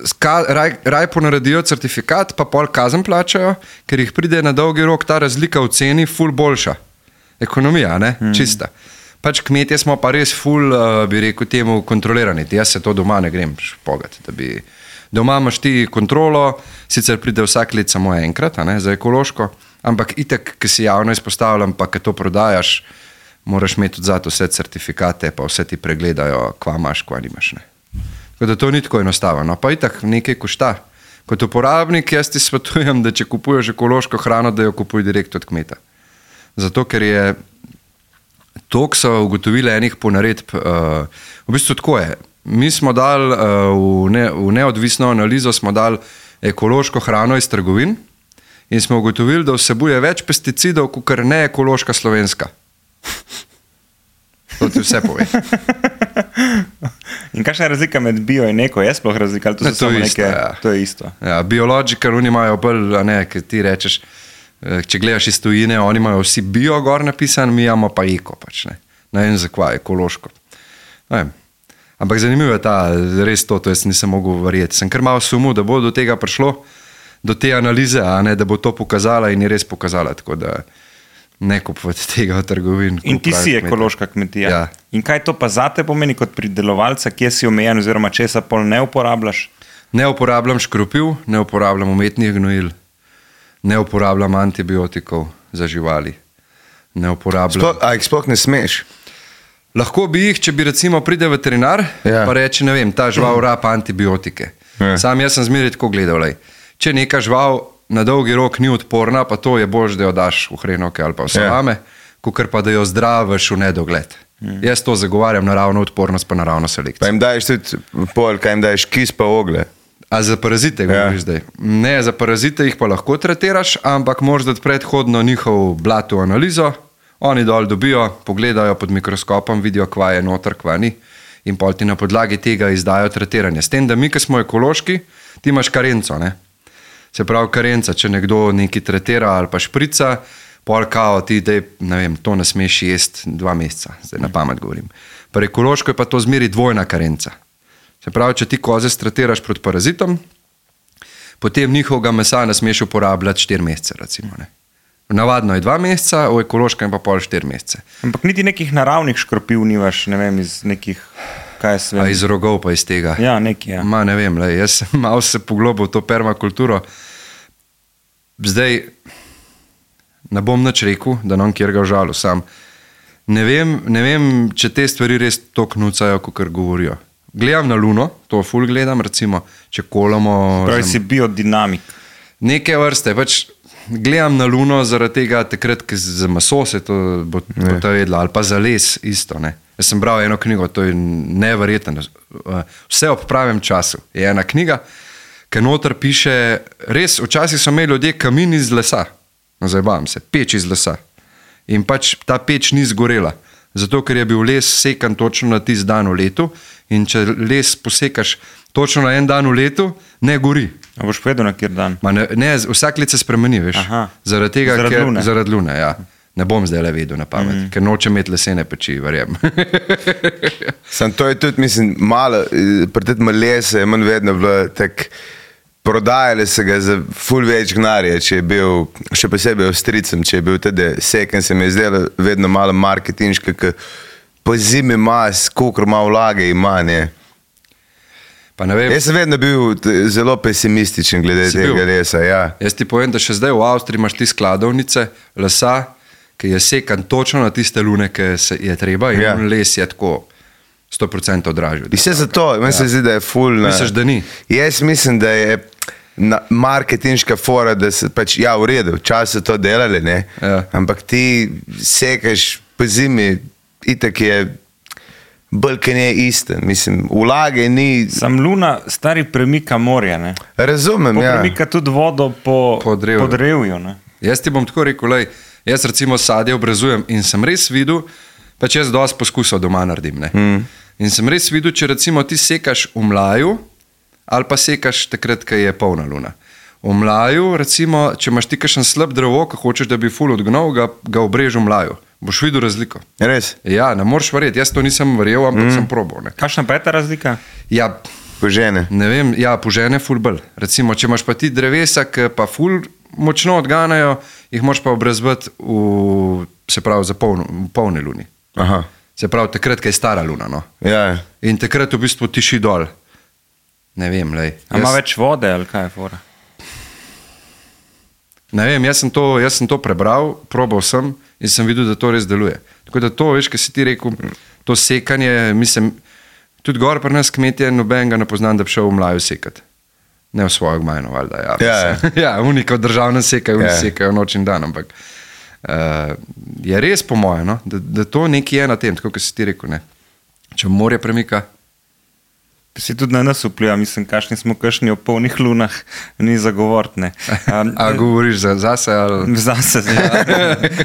ska, raj, raj ponaredijo certifikat, pa pol kazen plačajo, ker jih pride na dolgi rok ta razlika v ceni ful boljša. Ekonomija, ne? Hmm. Čista. Pač kmetje smo pa res ful, uh, bi rekel temu, kontrolirani. Jaz se to doma ne grem špogat, da bi... Doma imaš ti kontrolo, sicer pride vsak let samo enkrat, a ne, za ekološko, ampak itek, ki si javno izpostavljam, pa ki to prodajaš, moraš imeti tudi za to vse certifikate, pa vse ti pregledajo, kva imaš, kva nimaš. Ne. Tako da to ni tako enostavno, pa itek nekaj košta. Kot uporabnik jaz ti svetujem, da če kupuješ ekološko hrano, da jo kupuj direkt od kmeta. Zato, ker je toliko so ugotovili enih ponaredb, uh, v bistvu tako je. Mi smo dali uh, v, ne, v neodvisno analizo smo dali ekološko hrano iz trgovin in smo ugotovili, da vsebuje več pesticidov, kot ne ekološka slovenska. To ti vse pove. In kakšna je razlika med bio in eko? Je sploh razlika? Ali to, Ne, so to samo je isto, neke, ja. to je isto. Ja, biological, oni imajo bolj, a ne, ki ti rečeš, eh, če gledaš iz tujine, oni imajo vsi bio gor napisan, mi imamo pa eko, pač ne. Ne vem zakaj, ekološko. Ne vem. Ampak zanimivo je ta, res to, to jaz nisem mogel verjeti. Sem kar malo sumil, da bo do tega prišlo, do te analize, a ne, da bo to pokazala in je res pokazala, tako da ne kupovati tega v trgovin. In ti si kmeta. ekološka kmetija. Ja. In kaj to pa zate pomeni kot pridelovalca, kje si omejen oziroma česa pol ne uporabljaš? Ne uporabljam škropiv, ne uporabljam umetnih gnojil, ne uporabljam antibiotikov za živali. Ne uporabljam. Sploh, a jih sploh ne smeš. Lahko bi jih, če bi recimo pride veterinar, Ja. pa reče, ne vem, ta žival rapa antibiotike. Ja. Sam jaz sem zmeraj tako gledal, lej. Če neka žival na dolgi rok ni odporna, pa to je bož, da jo daš v hrenovke ali pa v salame, ja. Kakor pa da jo zdraviš v nedogled. Hmm. Jaz to zagovarjam, naravno odpornost pa naravno Pa selekcijo. jim daješ tudi pol, kaj jim daješ kis pa ogle. A za parazite govoriš Ja. zdaj? Ne, za parazite jih pa lahko tretiraš, ampak moraš dati predhodno njihov blatu analizo, oni dol dobijo, pogledajo pod mikroskopom, vidijo, kva je noter, kva ni in pol ti na podlagi tega izdajo tretiranje. S tem, da mi, ki smo ekološki, ti imaš karenco, ne? Se pravi karenca, če nekdo nekaj tretira ali pa šprica, pol kao ti, dej, ne vem, to ne smeš jesti dva meseca, zdaj na pamet govorim. Pri ekološko je pa to zmeri dvojna karenca. Se pravi, če ti koze stretiraš proti parazitom, potem njihovega mesa ne smeš uporabljati štiri mesece. Recimo, ne. Navadno je dva meseca, v ekološkem pa pol štiri mesece. Ampak niti nekih naravnih škropiv nimaš, ne vem, iz nekih, kaj se A vem. iz rogov pa iz tega. Ja, neki, ja. Ma, ne vem, lej, jaz sem malo se poglobil v to permakulturo. Zdaj, ne bom nič rekel, da nam kjer ga žalu, sam. Ne vem, ne vem, če te stvari res toliko nucajo, kot govorijo. Gledam na Luno, to ful gledam, recimo, če kolamo... Pravi sem- si biodinamik. Neke vrste, pač gledam na Luno zaradi tega takrat, ker za maso se to bo, bo to jedlo, ali pa za les isto, ne. Jaz sem bral eno knjigo, to je neverjetno. Vse ob pravem času je ena knjiga, ki noter piše, res, včasih so imeli ljudje kamin iz lesa, no zajebavam se, peč iz lesa. In pač ta peč ni zgorela, zato ker je bil les sekan točno na tisti dan v letu in če les posekaš točno na en dan v letu, ne gori. A boš povedal na kjer dan? Ma ne, ne, vsak let se spremeni, veš. Aha. Zaradi tega, Zaradi ker, lune. zaradi lune, ja. Ne bom zdaj le vedel na pamet, mm. ker nočem imeti lesene peči, verjem. Sam to je tudi, mislim, malo, eh, pri tem lese je manj vedno bilo tak, prodajali se ga za ful več gnarja, če je bil, še posebej Avstrijcem, če je bil tudi seken, se mi je zdelo vedno malo marketinška, ker po zimi ima, koliko ima vlage ima, ne. Pa ne vem, Jaz sem vedno bil t- zelo pesimističen glede Si tega bil? lesa, ja. jaz ti povem, da še zdaj v Avstriji imaš ti skladovnice lesa, ki je sekan točno na tiste lune, ki se je treba in Ja. ja. les je tako sto procentov dražji. In vse zato, meni se zdi, da je ful na... Misliš, da ni? Jaz mislim, da je na marketinška fora, da se pač, ja, v redu, včasih so to delali, ne, Ja. ampak ti sekaš po zimi, itak je bolj, kaj ne isten, mislim, vlage ni, Sam Luna stari premika morja, ne? razumem, ja. Premika tudi vodo po, Po drevju. po drevju, ne? Jaz ti bom tako rekel, lej, jaz recimo sadje obrezujem in sem res videl, pač jaz dosti poskusov doma naredim, ne. Mm. In sem res videl, če recimo ti sekaš v mlaju ali pa sekaš takrat, ko je polna luna. V mlaju, recimo, če imaš ti kakšen slab drevo, ko hočeš, da bi ful odgnal, ga, ga obrež v mlaju. Boš videl razliko. Res, Ja, ne moreš verjeti, jaz to nisem verjel, ampak mm. sem probal. Ne. Kakšna pa je ta razlika? Ja, požene. ne vem, ja, požene ful bolj. Recimo, če imaš pa ti drevesa, ki pa ful močno odganjajo, jih moraš pa obrezbati v, se pravi, za polno, v polni luni. Aha, Se pravi, takrat, ko je stara luna. No. ja, In takrat v bistvu tiši dol. Ne vem, lej. A ima več vode ali kaj je fora? Ne vem, jaz sem, to, jaz sem to prebral, probal sem in sem videl, da to res deluje. Tako da to, veš, kaj si ti rekel, to sekanje, mislim, tudi gor pri nas kmetje, nobenega ne poznam, da bi šel v mlaju sekati. Ne v svojo gmajno, valjda. Ja, Ja, mislim. ja unika v državnem sekajo, oni Ja. sekajo noč in dan, ampak uh, je res po moje, no, da, da to nekaj je na tem, tako kot si ti rekel, ne. Če morje premika, Si tudi na nas vpliva, mislim, kakšni smo kakšni ob polnih lunah, ni zagovortne. Um, a govoriš za, zase ali... Zase, ja.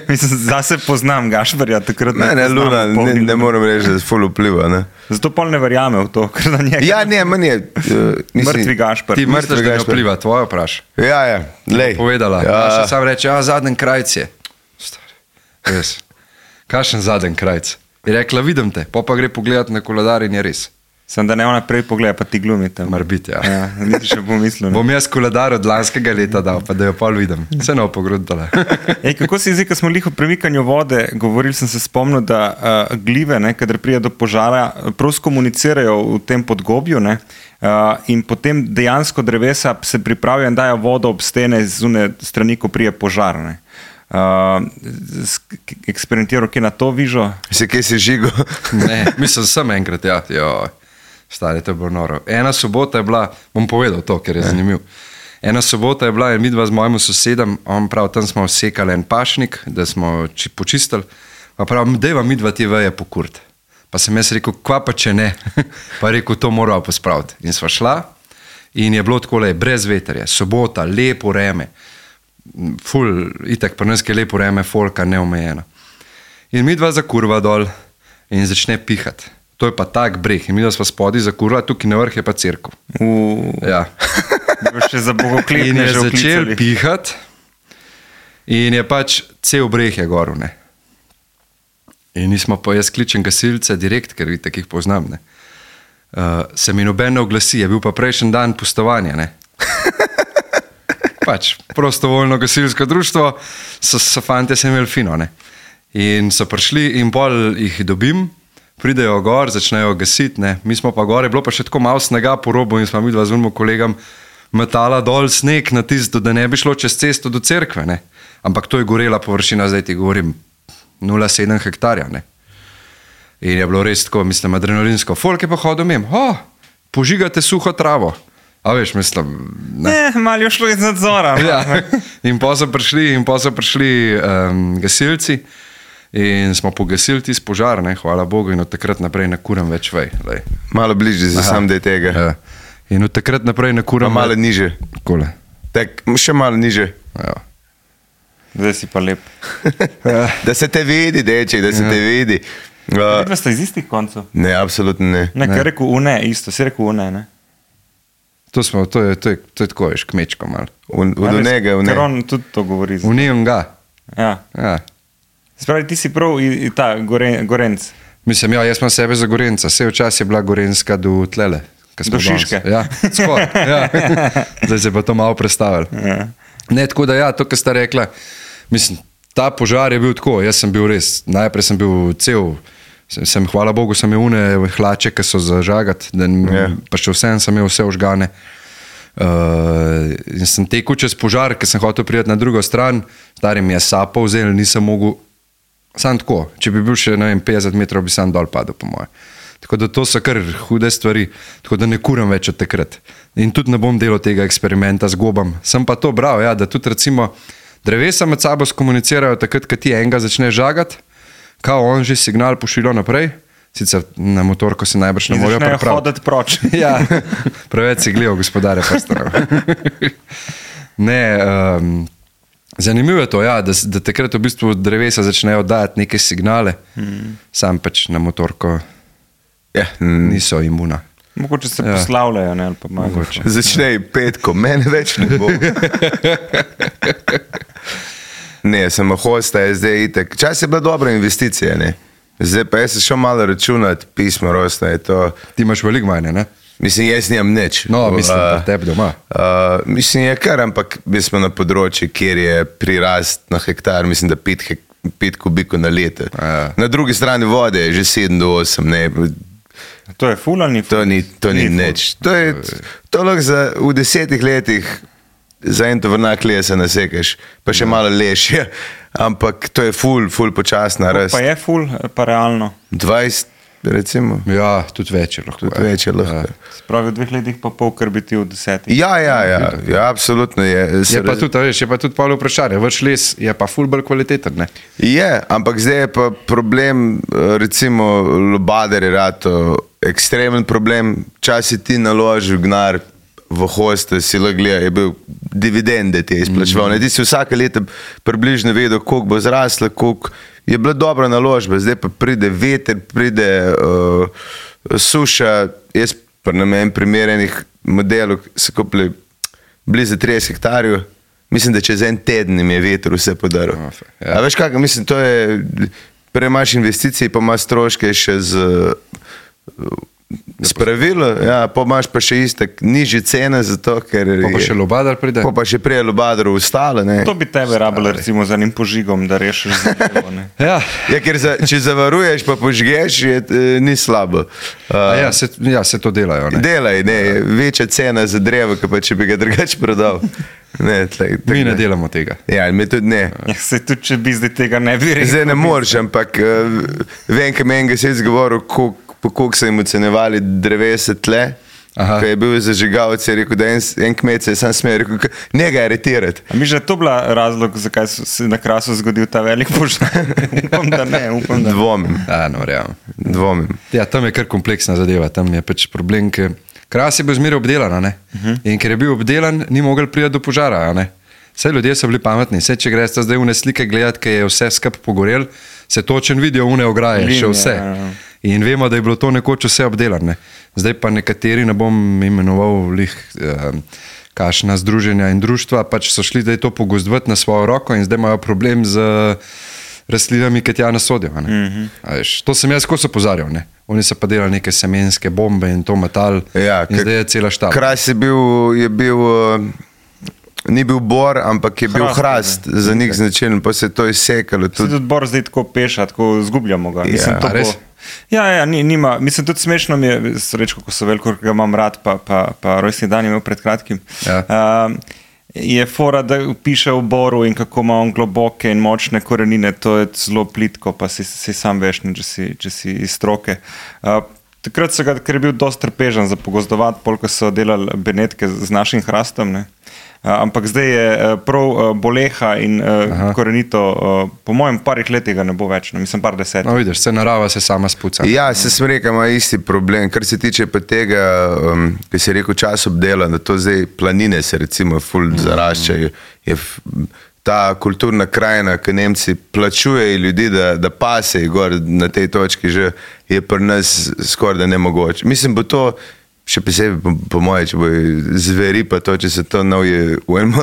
Mislim, zase poznam Gašperja, takrat ne, ne, poznam Luna, ob ne, polnih ne lunah. moram reči, da je ful vpliva, ne. Zato pol ne verjame v to, ker na njega Ja, ne, meni je, uh, mislim, mrtvi Gašper. Ti misliš, da ne Gašper. vpliva, tvoje vpraš. Ja, ja, lej. Povedala. Ja. Ja. Naša sam reče, ja, zadnji krajc je. Stari, res. Kakšen zadnji krajc? Je rekla, vidim te, pa pa gre pogledat na koledar in je res. Sem da ne ona prej pogleda, pa ti glumite. Mar biti, ja. Ja, niti še pomislil. ne. Bom jaz koledar od lanskega leta dal, pa da jo pol vidim. Se ne opogrudala. Ej, kako se zdi, ko smo lih o premikanju vode, govorili sem se spomnil, da uh, glive, ne, kadar pride do požara, prav skomunicirajo v tem podgobju, ne, uh, in potem dejansko drevesa se pripravijo in dajo vodo ob stene z une strani, ko prije požar. Ne. Uh, eksperimentiral, kje na to vižo? Si kje si žigo? Ne, mislim, sem enkrat, ja. Jo, stari, to je bilo noro. Ena sobota je bila, bom povedal to, ker je zanimiv. Ena sobota je bila in midva z mojim sosedom, on prav, tam smo sekali en pašnik, da smo či, počistili, pa prav, dejva midva ti veje pokurt. Pa sem jaz rekel, kva pa če ne? Pa rekel, to moramo pospraviti. In sva šla in je bilo takole, brez veterja, sobota, lepo vreme, ful, itak pri nas je lepo vreme, folka neomejena. In midva zakurva dol in začne pihati. To je pa tak breh in midva sva spodaj zakurva, tukaj na vrh je pa cerkev. V... Ja. Da bi še za In bogokletne je že začel oklicali. pihati in je pač cel breh je gor, ne. In nismo pa, jaz kličem gasilce direkt, ker vidite, jih poznam, ne. Uh, se mi noben ne oglasi, je bil pa prejšnji dan pustovanja, ne. pač prostovoljno gasilsko društvo, so, so fante se imeli fino. Ne? In so prišli in pol jih dobim, pridejo gor, začnejo gasiti, ne? Mi smo pa gore, bilo pa še tako malo snega po robu in smo mi dva z unim kolegom metala dol sneg na tisto, da ne bi šlo čez cesto do cerkve, ne? Ampak to je gorela površina, zdaj ti govorim, nula celih sedem hektarja. Ne? In je bilo res tako, mislim, adrenalinsko. Folk je pa hodil mem, oh, požigate suho travo. A veš, mislim, ne. Ne, malo je šlo iz nadzora. Ja. In pa so prišli, in pa so prišli um, gasilci in smo pogasili tisti požar, ne, hvala Bogu, in od takrat naprej ne kuram več vej. Lej. Malo bližje za sam dej tega. Ja. In od takrat naprej ne kuram. Pa malo niže. Kole. Tak, še malo niže. Ja. Zdaj si pa lep. Da se te vidi, deček, da se te vidi. Uh, Vidva ste iz istih koncev? ne, absolutno ne. Ne, kaj je rekel une, isto, si rekel une, ne? To, smo, to, je, to, je, to je tako, veš, kmečko malo. V, v njega, v Ker njega. on tudi to govori. V njim ga. Ja. Ja. Spravi, ti si prav i, i ta goren, gorenc. Mislim, ja, jaz imam sebe za Gorenca. Vse včas je bila Gorenska do tlele. Do Šiške. Ja, skor. Ja. Zdaj se pa to malo predstavili. Ja. Ne, tako da ja, to, kar sta rekla, mislim, ta požar je bil tako, jaz sem bil res, najprej sem bil cel, sem, sem hvala Bogu, sem imel une hlače, ki so za žagat, da, Ja. pa še vsem sem imel vse ožgane. Uh, in sem tekel čez požar, ker sem hotel priti na drugo stran, stari mi je sapo vzel, nisem mogel, sam tako, če bi bil še, ne vem, petdeset metrov, bi sam dol padel, po moje. Tako da to so kar hude stvari, tako da ne kuram več od takrat. In tudi ne bom delal tega eksperimenta z gobam. Sem pa to bral, ja, da tudi recimo drevesa med sabo skomunicirajo takrat, ko ti enega začne žagati, kao on že signal pošilja naprej, sicer na motorko se najbrž ne In morejo začnejo pripraviti. hoditi proč. Ja, preveč si gledal gospodarja prstanov. Ne, um, zanimivo je to, ja, da, da takrat v bistvu drevesa začnejo dajati neke signale, mm. sam pač na motorko Ja, mm, niso imuna. Mogoče se Ja. poslavljajo, ne, ali pa malo. Mogoče. začnej petko, mene več ne bo. Ne, samo hosta je zdaj itek. Čas je bila dobra investicija, ne. Zdaj pa jaz se šel malo računati, pismo rosta je to. Ti imaš veliko manje, ne? Mislim, jaz nimam nič. No, mislim, Uh, da tebi doma. Uh, mislim, je kar, ampak mi smo na področju, kjer je prirast na hektar, mislim, da pet, hek, pet kubikov na leto. Ja. Na drugi strani vode je že sedem do osem, ne. To je ful ali ni ful? To ni, to ni ful. nič. To je, to lahko za, v desetih letih za en tovrnak lesa nasekaš, pa še malo lešje, ampak to je ful, ful počasna rast. Pa je ful, pa realno. dvajset, recimo, Ja, tudi več je lahko. tudi ja. več je lahko. Spravi v dveh letih pa pol, kar bi ti v desetih. Ja, ja, ja, ja, absolutno je. Je pa tudi, a veš, je pa tudi polo vprašanje. Vrš les je pa ful bolj kvaliteten, ne? Je, ampak zdaj je pa problem, recimo, lobader je rato ekstremen problem. Časi ti naložil gnar v hoste, si lahko gleda, je bil dividende ti je izplačeval. Mm -hmm. Ti si vsake leta približno vedel, koliko bo zrasla, koliko je bila dobra naložba. Zdaj pa pride veter, pride uh, suša. Jaz pa na menem primerenih modelov so kupili blizu trideset hektarjev. Mislim, da čez en teden jim je veter vse podaril. Oh, ja. A veš kako, mislim, to je, prej imaš investicije, pa imaš stroške še z spravilo, ja, pa imaš pa še istek nižje cene, zato ker Pa pa je- še lobadar pride. pa pa še prej lobadru ustalo, ne. To bi tebe rabilo recimo za enim požigom, da rešiš zadevo, ne. Ja, Ja, ker za, če zavaruješ pa požgeš, je, eh, ni slabo. a Uh, ja, se, ja, se to delajo, ne? delaj, ne, večja cena za drevo, kot pa če bi ga drugače prodal. Ne, tlej, tak, Mi ne delamo tega. Ja, mi tudi ne. Ja, se tudi, če bi zdaj tega ne bi rekel. Zdaj ne moreš, ampak uh, vem, kaj meni se je zgovoril, koliko koliko so jim ocenjevali drevesa tle. Aha. Ko je bil zažigalec, je rekel, da en, en kmet se je sam smel, rekel, njega aretirati. A mi že to bila razlog, zakaj so se na Krasu zgodil ta velik požar? Upam, da ne, upam, da ne. Dvomim, Ja, no, realno. dvomim. Ja, tam je kar kompleksna zadeva, tam je pač problem, ker Kras je bil zmeraj obdelan, a ne? Uh-huh. In ker je bil obdelan, ni mogel priti do požara, a ne? Vse ljudje so bili pametni, vse če greš zdaj v ne slike gledati, ker je vse skup pogorel, se točen vidijo une ograje, še Linije, vse. ja, ja. In vemo, da je bilo to nekoč vse obdelano. Zdaj pa nekateri, ne bom imenoval lih, eh, kakšna združenja in društva, pač so šli zdaj to pogozdovati na svojo roko in zdaj imajo problem z rastlinami, ki tja ne sodijo. Ne? Mm-hmm. Veš, to sem jaz skozi opozarjal. Ne? Oni so pa delali neke semenske bombe in to metal. Ja, in ker zdaj je cela štaba. Kras je bil, je bil uh, ni bil bor, ampak je bil Hrast, hrast za njih značilen, pa se je to izsekalo. Tudi, tudi bor zdaj tako peša, tako zgubljamo ga. Mislim, Ja, to res? bo, ja, ja, ni, nima. Mislim, tudi smešno mi je, srečko, ko so veliko, ki ga imam rad, pa, pa, pa rojstni dan je imel pred kratkim. Ja. Um, je fora, da piše o boru in kako ima on globoke in močne korenine, to je zelo plitko, pa si, si sam veš, ne, če, si, če si iz stroke. Uh, takrat so ga, ker je bil dosti trpežen za pogozdovati, polk so delali benetke z našim hrastom, ne. Uh, ampak zdaj je uh, prav uh, boleha in uh, korenito, uh, po mojem parih letih ga ne bo več, no, mislim par deset. No, vidiš, se narava se sama spuca. Ja, se smreka ima isti problem. Kar se tiče pa tega, um, ki se je rekel čas obdela, da to zdaj planine se recimo ful zaraščajo. Je f, ta kulturna krajina, ki Nemci plačujejo ljudi, da, da pasejo gor na tej točki, že je pri nas skoraj da nemogoče. Mislim, bo to še posebej po, po moje, če bo zveri pa to, če se to novje v enem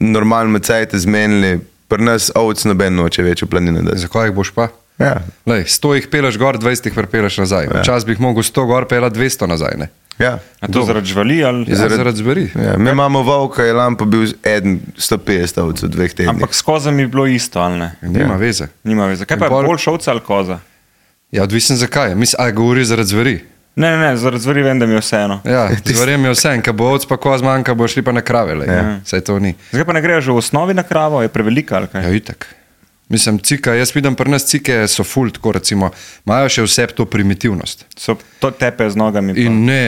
normalnem cajtu zmenili, pri nas ovc noben noče več v planine. Da. Zakaj jih boš pa? Ja. Lej, sto jih peleš gor, dvajset jih prepeleš nazaj. Ja. Včasih bi jih mogel sto gor pelati, dvesto nazaj. Ne? Ja. A to zaradi živali ali? Ja, zaradi, zaradi zveri. Ja, mi imamo volka, je lampo bil eden sto petdeset ovc v dveh tednih. Ampak s kozami je bilo isto, ali ne? Nima Ja. veze. Nima veze. Kaj In pa je pol- boljša ovca ali koza? Ja, odvisen zakaj. Mislim, a govori zaradi zveri. Ne, ne, ne, zaradi zveri vem, da mi je vseeno. Ja, zverjem je vse, ko bo ovc pa koz manjka, bo šli pa na krave. Ja. Saj to ni. Zakaj pa ne grejo že v osnovi na kravo, je prevelika ali kaj? Ja, itak. Mislim, cika, jaz vidim, pri nas cike so ful, tako recimo, imajo še vse to primitivnost. So to tepe z nogami. Pa. In ne,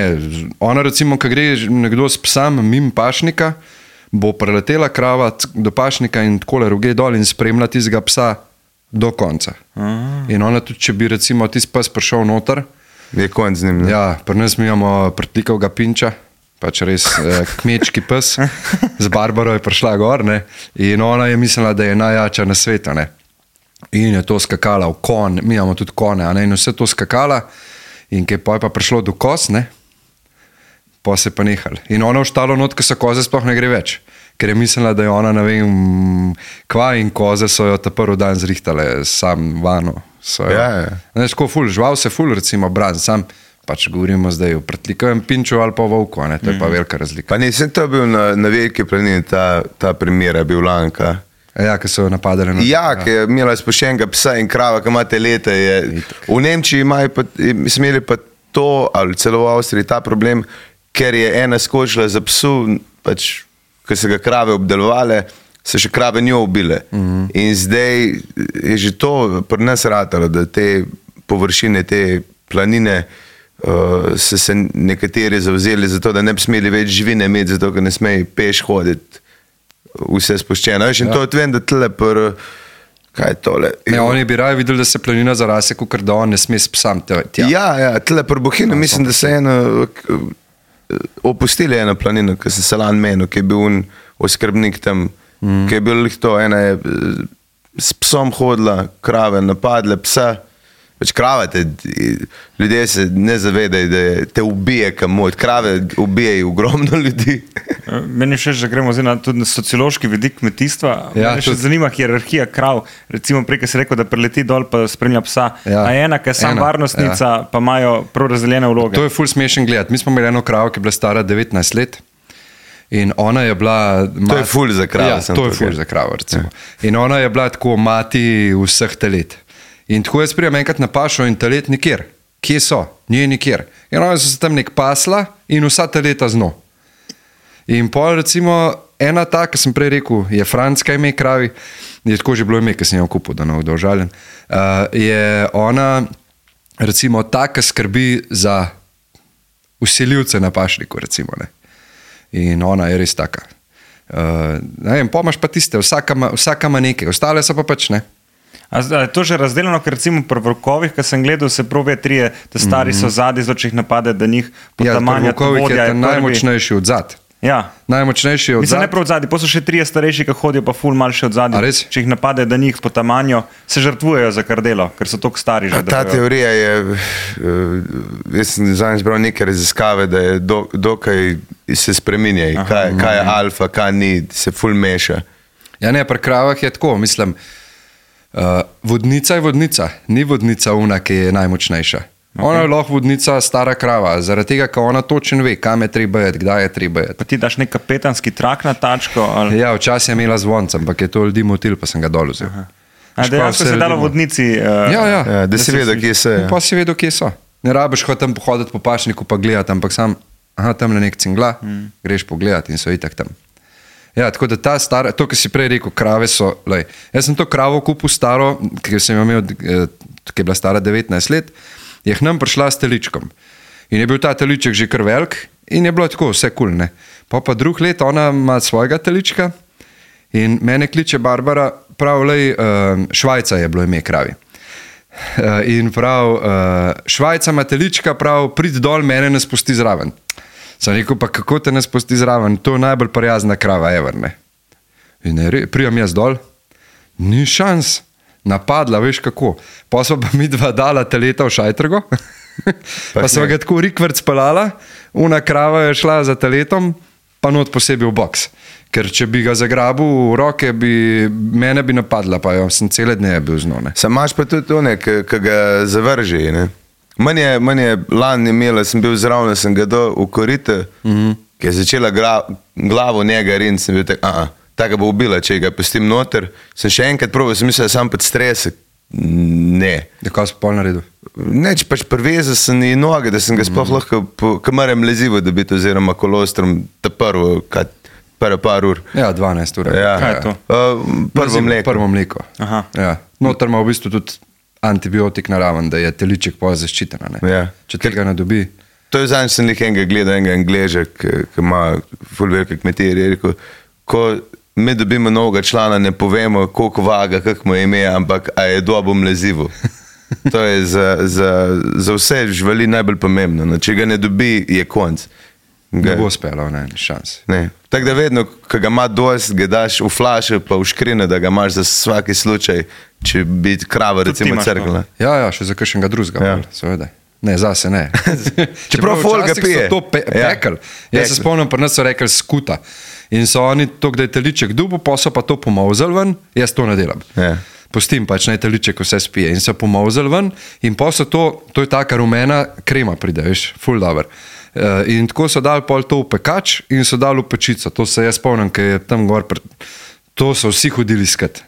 ona recimo, ko gre nekdo s psom mimo pašnika, bo preletela krava c- do pašnika in takole ruge dol in spremlja tistega psa do konca. Aha. In ona tudi, če bi recimo tisti pes prišel noter, Je konc z njim. Ne? ja, pri nas mi imamo prtlikavga pinča, pač res eh, kmečki pes, z Barbaro je prišla gor, ne, in ona je mislila, da je najjača na svetu, ne. In je to skakala v kon, mi imamo tudi kone, a ne, in vse to skakala, in ko je pol pa prišlo do kos, ne, pa se pa nehal. In ona v štalo not, ko so koze, sploh ne gre več, ker je mislila, da je ona, ne vem, kva in koze so jo ta prvi dan zrihtale sam vano. So jo, Ja, ja. ne, tako ful, žival se ful, recimo, bran, sam pač govorimo zdaj o prtlikovem pinču ali pa volku, ne, to je pa velika razlika. Pa nisem to bil na, na veliki planini, ta, ta primer je bil Lanka. Ja, ki so jo napadali na Ja, ki je imela spuščenega psa in krava, ki imate leta. Je, v Nemčiji imajo pa, smo imeli pa to, ali celo v Avstriji ta problem, ker je ena skočila za psu, pač, ko so ga krave obdelovale, so še krave njo ubile. Mm-hmm. In zdaj je že to pri nas ratalo, da te površine, te planine, uh, so se nekateri zavzeli za to, da ne bi smeli več živine imeti, zato ker ne smejo peš hoditi, vse spuščeno. Veš, in ja. to vem, da tle pr, kaj je tole? Ne, oni bi raje videli, da se planina zarase, kot da on ne sme s psam tja. Ja, ja, tle pri Bohinu, no, mislim, da se je eno, opustili eno planino, ki se Salan menil, ki je bil un oskrbnik tam, mm. ki je bil lih to, ena je s psom hodila, krave napadle psa, pač krava te, ljudje se ne zavedajo, da te ubije kamot, krave ubijajo ogromno ljudi. Meni še, že gremo zdaj na, tudi na sociološki vidik kmetijstva. Ja, Mene še tudi. zanima hierarhija krav. Recimo prej, ko si rekel, da preleti dol pa spremlja psa. Ja. A je ena, ki je sam Ena, varnostnica, ja. pa imajo prav razdeljene vloge. To je ful smešen gledati. Mi smo imeli eno kravo, ki je bila stara devetnajst let. In ona je bila... To je ful za kravo, Ja, sem to je tukaj. ful za kravo, recimo. In ona je bila tako mati vseh telet. In tako jaz prijem enkrat na pašo in telet nikjer. Kje so? Nije nikjer. In ona so se tam nek pasla in vsa teleta z njo. In pol recimo ena ta, ki sem prej rekel, je Franska ime kravi, je tako že bilo ime, ki sem jo kupil, da ne bo užaljen, uh, je ona recimo ta, ki skrbi za vsiljivce na pašniku, recimo, ne. In ona je res taka. Uh, ne vem, pomaš pa tiste, vsaka ima, vsaka ima nekaj, ostale so pa pač ne. A zdaj, je to že razdeljeno, ker recimo pri vrkovih, ki sem gledal, se prove trije, da stari so zadnji, zato če jih napade, da njih Ja, potamanja Vukovik je vodja ta prvi. najmočnejši od zad. Ja. Najmočnejši od Mislim, ne zad. prav od zadnji, pa so še trije starejši, ki hodijo pa ful mal še od A zadnji. res? Če jih napade, da njih potamanjo, se žrtvujejo za kardelo, ker so toliko stari že. A ta da- teorija je, uh, jaz sem zadnjič bral neke raziskave, da je do, dokaj se spreminja, kaj, kaj je alfa, kaj ni, se ful meša. Ja, ne, pri kravah je tako, mislim, uh, vodnica je vodnica, ni vodnica una, ki je najmočnejša. Okay. Ona je lahko vodnica, stara krava, zaradi tega, ker ona točno ve, kam je treba jeti, kdaj je treba jeti. Pa ti daš nek kapetanski trak na tačko? Ali? Ja, včasih je imela zvonca, ampak je to ljudi motil, pa sem ga dol vzel. A dejansko se je dalo vodnici? Uh, Ja, ja. Ja, da si vedel, kje se je. Pa si vedel, kje so. Ne rabiš ho tam pohoditi po pašniku pa gledati, ampak sam, aha, tam le nek cingla, mm. greš pogledati in so itak tam. Ja, tako da ta stara, to, kar si prej rekel, krave so, lej, jaz sem to kravo kupil staro, ker sem jo imel, ki je bila stara devetnajst let, je k nam prišla s teličkom. In je bil ta teliček že kar velik in je bilo tako, vse kul, ne. Pa pa drug let ona ima svojega telička in mene kliče Barbara, prav, lej, Švajca je bilo ime kravi. In prav, Švajca ima telička, prav, prid dol, mene ne spusti zraven. Sem rekel, pa kako te ne spusti zraven, to je najbolj prijazna krava ever, ne. In ne, prijam jaz dol, ni šans, napadla, veš kako. Pa so pa mi dva dala teleta v šajtrgo, pa so ga tako rikvrc pelala, una krava je šla za teletom, pa not posebej v boks. Ker če bi ga zagrabil v roke, bi, mene bi napadla, pa jo sem cele dne bil z njo, ne. Sam imaš pa tudi to, ki ga zavrži, ne. Meni je, meni je lan imela, sem bil zraven, sem ga dal v korite, mm-hmm. ki je začela gra, glavo njega rin, sem bil tak, a taka bo ubila, če ga pustim noter. Sem še enkrat probil, sem mislil, da sam pod stresek. Ne. Da kaj si pol naredil? Ne, če pač prevezal sem i noge, da sem ga sploh lahko, kamarem lezivo dobiti, oziroma kolostrom, ta prvo, kad, prvo par ur. Ja, dvanajst ur. Ja. Kaj je to? Uh, prvo mleko. Prvo mleko. Aha. Ja. Noter ima v bistvu tudi antibiotik naraven, da je teliček pa zaščitena, ne. Ja. Če tega ne dobi. To je zanj, sem nekaj enega gledal, enega Angleža, ki ima ful velike kmetije, je rekel, ko mi dobimo novega člana, ne povemo, koliko vaga, kak mu je ime, ampak a je dobo mlezivo. To je za, za, za vse živali najbolj pomembno. No, če ga ne dobi, je konc. Ga, Ne bo spelo, ne, ni šans. ne. Tako da vedno, ko ga ima dost, ga daš v flaše pa v škrine, da ga imaš za svaki slučaj, če bi krava Tudi ti recimo imaš to. crkla. Ja, ja, še za kakšnega drugega, Ja. ja. seveda. Ne, zase ne. Čeprav folk ga včasih pije. so to pe Ja. pekel. Jaz Pekel. se spomnim, pri nas so rekli skuta. In so oni to, da je teliček dubu, pa so pa to pomavzali ven, jaz to ne delam. Ja. Pustim pač, naj teliček vse spije. In so pomavzali ven in pa so to, to je taka rumena krema pride, veš, ful dober. Uh, in tako so dali pol to v pekač in so dali v pečico. To se jaz spomnim, ker je tam gor, pr... to so vsi hodili skat.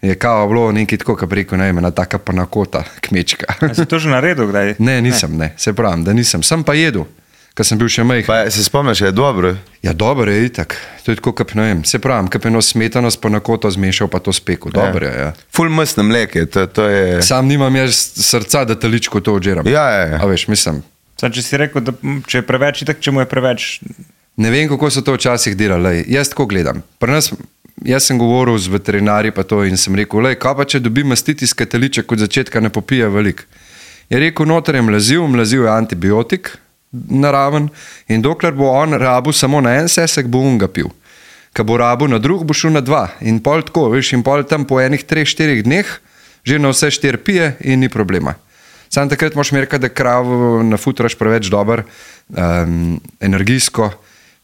Je kao bilo nekaj tako, kot preko, ne vem, ena taka panakota, kmečka. A si to že naredil kdaj? Ne, nisem, ne, se pravim, da nisem. Sem pa jedel, ker sem bil še majhen. Pa se spomniš, je dobro. Ja, dobro je itak. To je tako, kot ne vem, se pravim, kot eno smetano s panakoto zmešal, pa to spekel. Dobro je, ja. Ful mastno mleke, to, to je... Sam nimam jaz srca, da teličko to odžeram. Ja, ja, ja. A veš, mislim, Sad, če si rekel, da m, če je preveč, itak, če mu je preveč, ne vem, kako so to včasih delali. Lej. Jaz tako gledam. Pri nas, jaz sem govoril z veterinarji pa to in sem rekel, lej, kaj pa če dobi mastitis teliček od začetka ne popije veliko. Je rekel, noter je mlaziv, mlaziv je antibiotik naraven in dokler bo on rabu samo na en sesek, bo on ga pil. Ko bo rabu na drug, bo šel na dva. In pol tako, veš, in pol tam po enih treh, štirih dneh že na vse štiri pije in ni problema. Sam takrat moš merkati, da kravo nafutraš preveč dober, um, energijsko,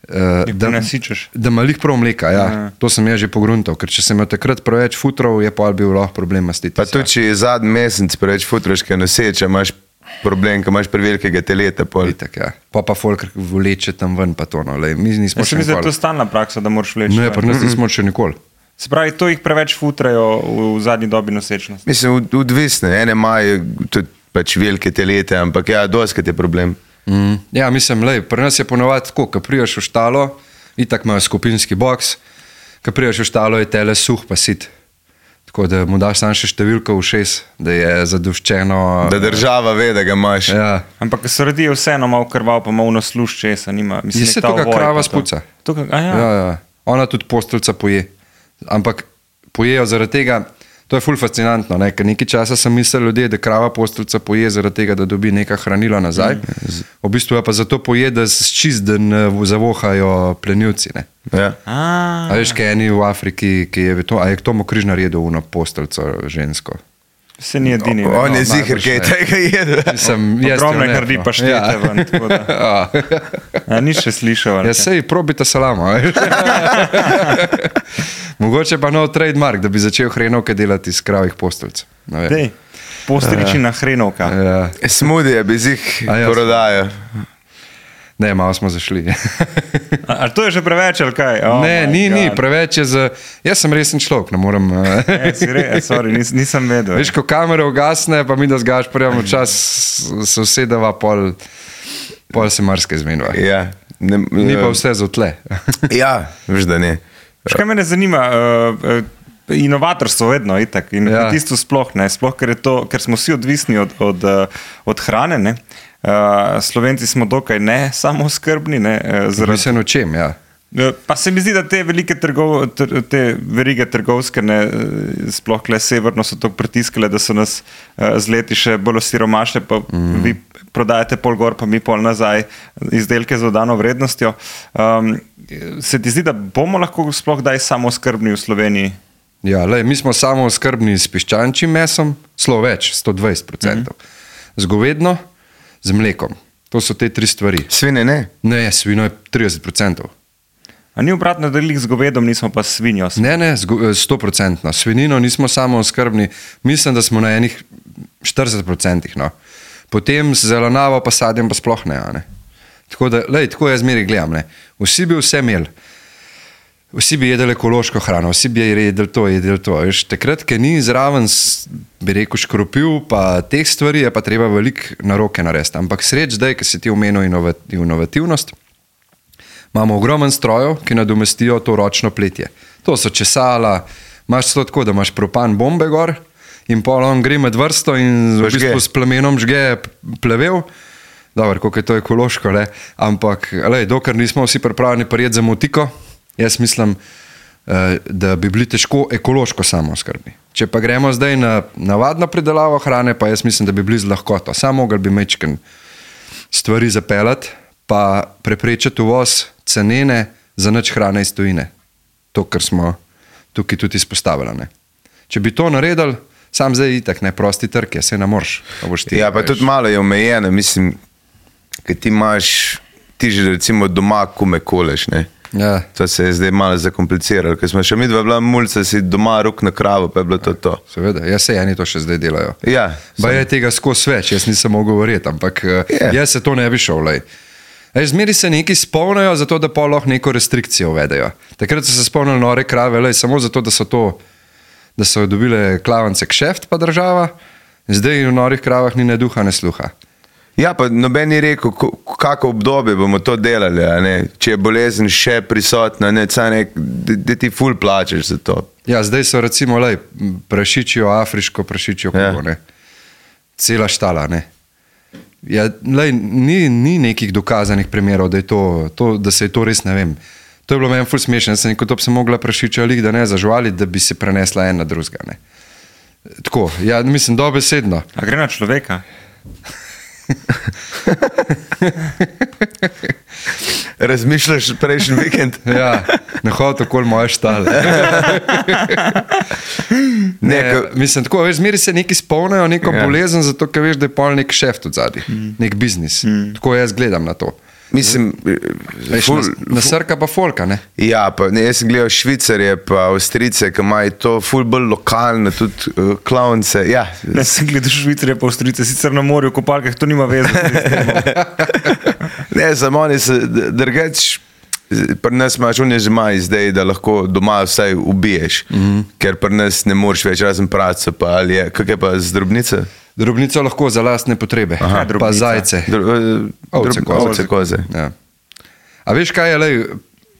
uh, da, prenasičeš. da ima lih prav mleka. Ja. Ja. To sem jaz že pogruntal, ker če sem imel takrat preveč futrov, je pa bil lahko problem mastitis. Pa tudi, če je zadnji mesec preveč futraške noseče, imaš problem, ko imaš prevelikega teleta. Pol. Itak, ja. Pa pa folk vleče tam ven, pa to. No. Lej, mi nismo jaz se še mi zdi, da je nikoli. to stalna praksa, da moraš vleči. Ne, ven. pa nas nismo še nikoli. Se pravi, to jih preveč futrajo v, v zadnji dobi nosečnosti. Mislim, od- odvisne, ene imajo tudi pač velike telete, ampak ja, doskrat je problem. Mm. Ja, mislim, lej, pri nas je ponovadi tako, ko priješ v štalo, itak imajo skupinski boks, ko priješ v štalo, je tele suh pa sit. Tako da mu daš samo še številko v šest, da je zadoščeno. Da država ve, da ga imaš. Ja. Ampak ko se rodijo vseeno malo krval, pa malo nasluš česa, nima. Mislim, Je se nek ta to, kar ovoj krava pa to. spuca. To, ka- a ja. Ja, ja. Ona tudi postelca poje. Ampak pojejo zaradi tega, to je ful fascinantno, ne? Ker nekaj časa sem mislil ljudje, da krava postelca poje zaradi tega, da dobi neka hranila nazaj. Mm. V bistvu je pa zato poje, da se čist, da ne zavohajo plenilci. Ne? Ja. A, A veš, kaj eni v Afriki, ki je to, a je k tomu križnar jedel uno postelco žensko. se ni edini. O, on je No, ziher, najbrž kaj je ne. tega jedel. Sem, jaz Ogromne jo ne, grdi no. paštete Ja. ven, tako da. Ja. Ja, ni še slišal. ali Ja, kaj? sej, probite salamo. a veš. Mogoče pa nov trademark, da bi začel hrenovke delati iz kravih postelc. Ne vem. Dej. Postričina hrenovka. Ja. Smudije bi zih A ja, prodajo. Ne, malo smo zašli. Ali to je že preveč, ali kaj? Oh ne, my ni, God. ni, preveč je za... Jaz sem resen človek, ne morem... E, si re, e, sorry, nis, nisem vedel. Veš, ko kamera ugasne, pa mi da z Gašporjem včas se usedeva, pol, pol se marsikaj zmenva. Ja. Ne, Ni pa vse za tle. Ja, veš, da ne. Veš, kaj mene zanima? Uh, uh, inovatorstvo vedno, itak. In Ja. kmetijstvo sploh ne. Sploh, ker, je to, ker smo vsi odvisni od, od, uh, od hrane, ne. Uh, Slovenci smo dokaj ne samooskrbni, ne, uh, zaradi Mislim o čem, ja. Pa se mi zdi, da te velike trgov, tr, te verige trgovske, ne, sploh kle severno so tako pritiskale, da so nas uh, z leti še bolj osiromašile, pa mm. vi prodajate pol gor, pa mi pol nazaj izdelke z dodano vrednostjo. Um, se ti zdi, da bomo lahko sploh daj samooskrbni v Sloveniji? Ja, lej, mi smo samooskrbni s piščančjim mesom, zelo več, sto dvajset procentov. Mm. Z govedno, z mlekom. To so te tri stvari. Svine ne. Ne, svino je trideset procentov. A ni obratno, da lih z govedom nismo pa s svinjo? Ne, ne, sto procentno. Svinino nismo samo oskrbni, mislim, da smo na enih štirideset procentih. No. Potem z zelenjavo pa sadjem pa sploh ne. ne. Tako da, lej, tako jaz zmeraj gledam. Ne. Vsi bi vse imeli. Vsi bi jedli ekološko hrano, vsi bi jedli to, jedli to. Veš, takrat, ker ni zraven, bi rekel, škropil, pa teh stvari je pa treba veliko na roke narediti. Ampak sreč zdaj, ker si ti omenil inovativnost, imamo ogromen strojev, ki nadomestijo to ročno pletje. To so česala, imaš to tako, da imaš propan bombe gor in pol on gre med vrsto in v bistvu s plamenom žge plevel. Dobro, koliko je to ekološko, le. Ampak lej, dokler nismo vsi pripravljeni prijeti za motiko, jaz mislim, da bi bili težko ekološko samooskrbni. Če pa gremo zdaj na navadno pridelavo hrane, pa jaz mislim, da bi bili z lahkoto. Samo mogli bi mečken stvari zapeljati, pa preprečiti uvoz cenene za nič hrane iz tujine. To, kar smo tukaj tudi izpostavili. Ne. Če bi to naredili, sam zdaj itak, ne, prosti trg je, se ne moreš. Ja, pa tudi malo je omejeno, mislim, ker ti imaš, ti že recimo doma kume koleš, ne. Ja. To se je zdaj malo zakompliciralo, ker smo še mi dva bila mulca, si doma ruk na kravo, pa je bilo to to. Seveda, jaz se eni to še zdaj delajo. Ja, ba je tega skozi več, jaz nisem mogel verjeti, ampak Ja. jaz se to ne bi šel. Lej. Ej, zmeri se neki spolnajo, zato da pa lahko neko restrikcijo uvedejo. Takrat so se spolnili nore krave, lej, samo zato, da so, to, da so dobile klavance kšeft pa država, zdaj v norih kravah ni ne duha, ne sluha. Ja, pa noben ni rekel, kako obdobje bomo to delali, a ne? Če je bolezen še prisotna, ne, da ti ful plačeš za to. Ja, zdaj so recimo, lej, prašičijo, afriško prašičijo kugo, Ja. ne. Cela štala, ne. Ja, lej, ni, ni nekih dokazanih primerov, da, je to, to, da se je to res, ne vem. To je bilo meni ful smešno, jaz sem rekel, to bi se mogla prašičja lik, da ne zažvali, da bi se prenesla ena drugega, ne. Tako, ja, mislim, dobesedno. A gre na človeka? Razmišljaš prejšnji vikend? Ja, ne hodi okoli moje štale. Ne, Ne, ko- mislim, tako, veš, zmeri se neki spolnajo neko Ja. bolezen, zato ker veš, da je pol nek šeft od zadaj, nek biznis. Tako jaz gledam na to. Mislim, Veš, ful, na, na srka pa folka, ne? ja, pa ne, jaz sem gledal Švicarje pa Avstrijce, ki imajo to ful bolj lokalno, tudi uh, klavnice, ja. Ne, sem gledal Švicarje pa Avstrijce, sicer na morju, v kopalkah, to nima veze. Ne, samo oni se drugač, pri nas imaš unje že maj zdaj, da lahko doma vsaj ubiješ, mm -hmm. ker pri nas ne moreš več razen praca, pa ali je, kak je pa z drobnice? Drobnico lahko za lastne potrebe, Aha, pa drobnica. zajce. Dro, uh, Ovce, koze. ovce, koze. Ja. A veš kaj je, lej,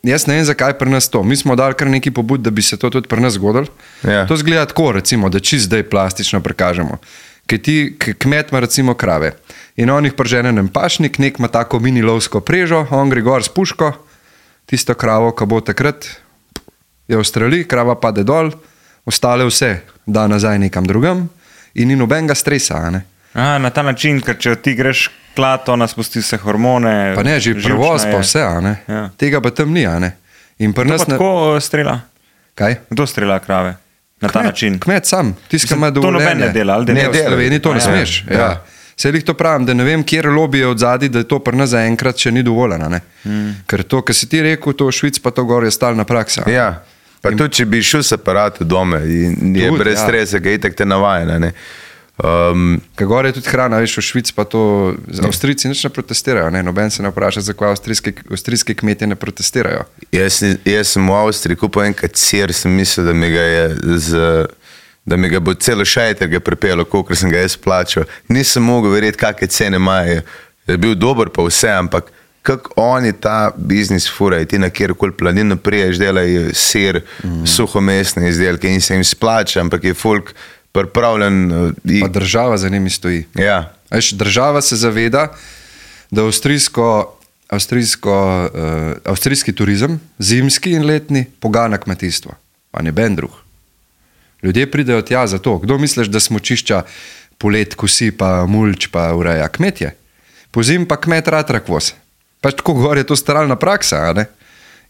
jaz ne vem, zakaj pri nas to. Mi smo dali kar neki pobud, da bi se to tudi pri nas zgodilo. Ja. To zgleda tako, recimo, da čist zdaj plastično prikažemo. Ker ti k- kmet ima recimo krave in on jih pržene na pašnik, nek ima tako mini lovsko prežo, on gre gor s puško, tisto kravo, ki bo takrat, je v streli, krava pade dol, ostale vse da nazaj nekam drugam in ni nobenega stresa, a ne. A, na ta način, ker če ti greš klat, ona spusti vse hormone. Pa ne, že živčna prevoz pa je. vse, a ne. Ja. Tega pa tam ni, a ne. In pri Kdo nas pa ne... tako uh, strela? Kaj? Kdo strela krave? Na ta Kmet, način. Kmet sam, tisti, ki Mislim, ima to dovoljenje. noben ne dela, ali da ne, ne v dela? Sloveniji to A ne ja. smeš. Ja. Ja. Ja. Se jih to pravim, da ne vem, kjer lobby je od zadaj, da je to pri nas zaenkrat še ni dovoljeno. Ne? Mm. Ker to, kar si ti rekel, to v Švici pa to gor je stalna praksa. Ja, pa tudi če bi šel s aparatom doma in je Tudi, brez ja. stresa, ki je itak te navajena, ne. Um, Kaj gore je tudi hrana, veš, v Švici pa to, Avstrijci nič ne protestirajo, ne? Noben se ne vpraša, zakaj avstrijski, avstrijski kmetje ne protestirajo. jaz, jaz sem v Avstriji kupil enkrat sir, sem mislil, da mi ga je z, da mi ga bo celo šajter ga pripelo, koliko sem ga jaz plačal. Nisem mogel verjeti, kakšne cene imajo. Je bil dober pa vse, ampak kako oni ta biznis furajo, ti na kjerkoli planino priješ, delajo sir, mm. suhomesne izdelke in se jim splača, ampak je folk pripravljen. Uh, Pa država za njimi stoji. ja. Veš, država se zaveda, da avstrijsko, avstrijsko, uh, avstrijski turizem, zimski in letni, pogana kmetijstvo, pa ne ben drug. Ljudje pridejo tja zato. Kdo misliš, da smučišča polet kosi, pa mulč, pa ureja? Kmetje. Po zim pa kmet rad rakvoz. Pač tako gor je to staralna praksa, a ne?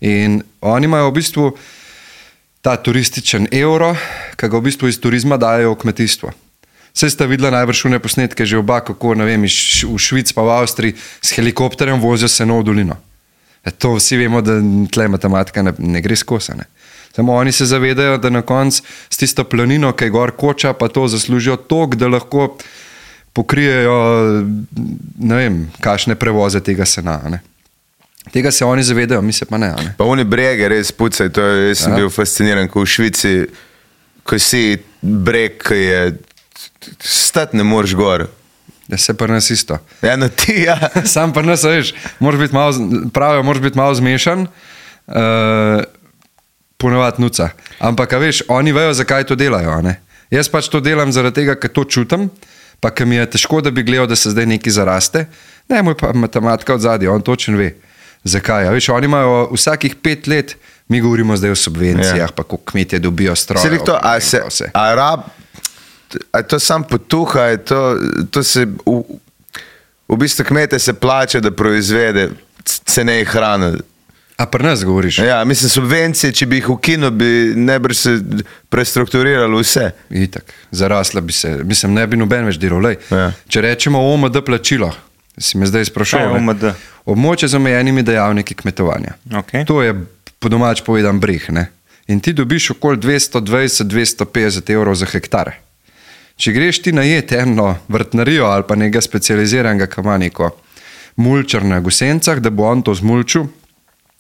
In oni imajo v bistvu ta turističen evro, ki ga v bistvu iz turizma dajo v kmetijstvo. Vse sta videla najbrž une posnetke že oba, kako, ne vem, v Švici pa v Avstriji s helikopterjem vozijo seno v dolino. E to vsi vemo, da tle matematika ne, ne gre skozi, ne? Samo oni se zavedajo, da na koncu s tisto planino, ki je gor koča, pa to zaslužijo toliko, da lahko pokrijejo, ne vem, kakšne prevoze tega sena, ne? Tega se oni zavedajo, mi se pa ne, ne? Pa oni brege res pucaj, to je, jaz sem Ja. bil fasciniran, ko v Švici, ko si breg, ki je, stati ne moreš gor. Da se pa nas isto. Eno ti, ja. Sam pa nas, veš, moraš biti malo, pravijo, moraš biti malo zmešan, uh, ponovati nuca. Ampak, a veš, oni vejo, zakaj to delajo, a ne? Jaz pač to delam zaradi tega, ker to čutim, pa ker mi je težko, da bi gledal, da se zdaj nekaj zaraste. Ne, moj pa matematika od zadnje, on točen ve. Zakaj? A veš, oni imajo vsakih pet let, mi govorimo zdaj o subvencijah, Ja. pa kako kmetje dobijo stroje. Se to, a se, pa vse. a rab, a to sam potuha, je to, to se, v, v bistvu kmete se plače, da proizvede cenej hrane. A pri nas govoriš? Ja, mislim, subvencije, če bi jih ukinil, bi najbrž se prestrukturiralo vse. Itak, zarasla bi se, mislim, ne bi noben več delal. Lej, Ja. če rečemo O M D plačilo, si me zdaj sprašal. Kaj je ne? O M D? Območje z omejenimi dejavniki kmetovanja. Okej. To je po domač povedan breh. Ne? In ti dobiš okoli dvesto dvajset do dvesto petdeset evrov za hektar. Če greš ti najet eno vrtnarijo ali pa nekega specializiranega kamaniko mulčar na Gosencah, da bo on to zmulčil,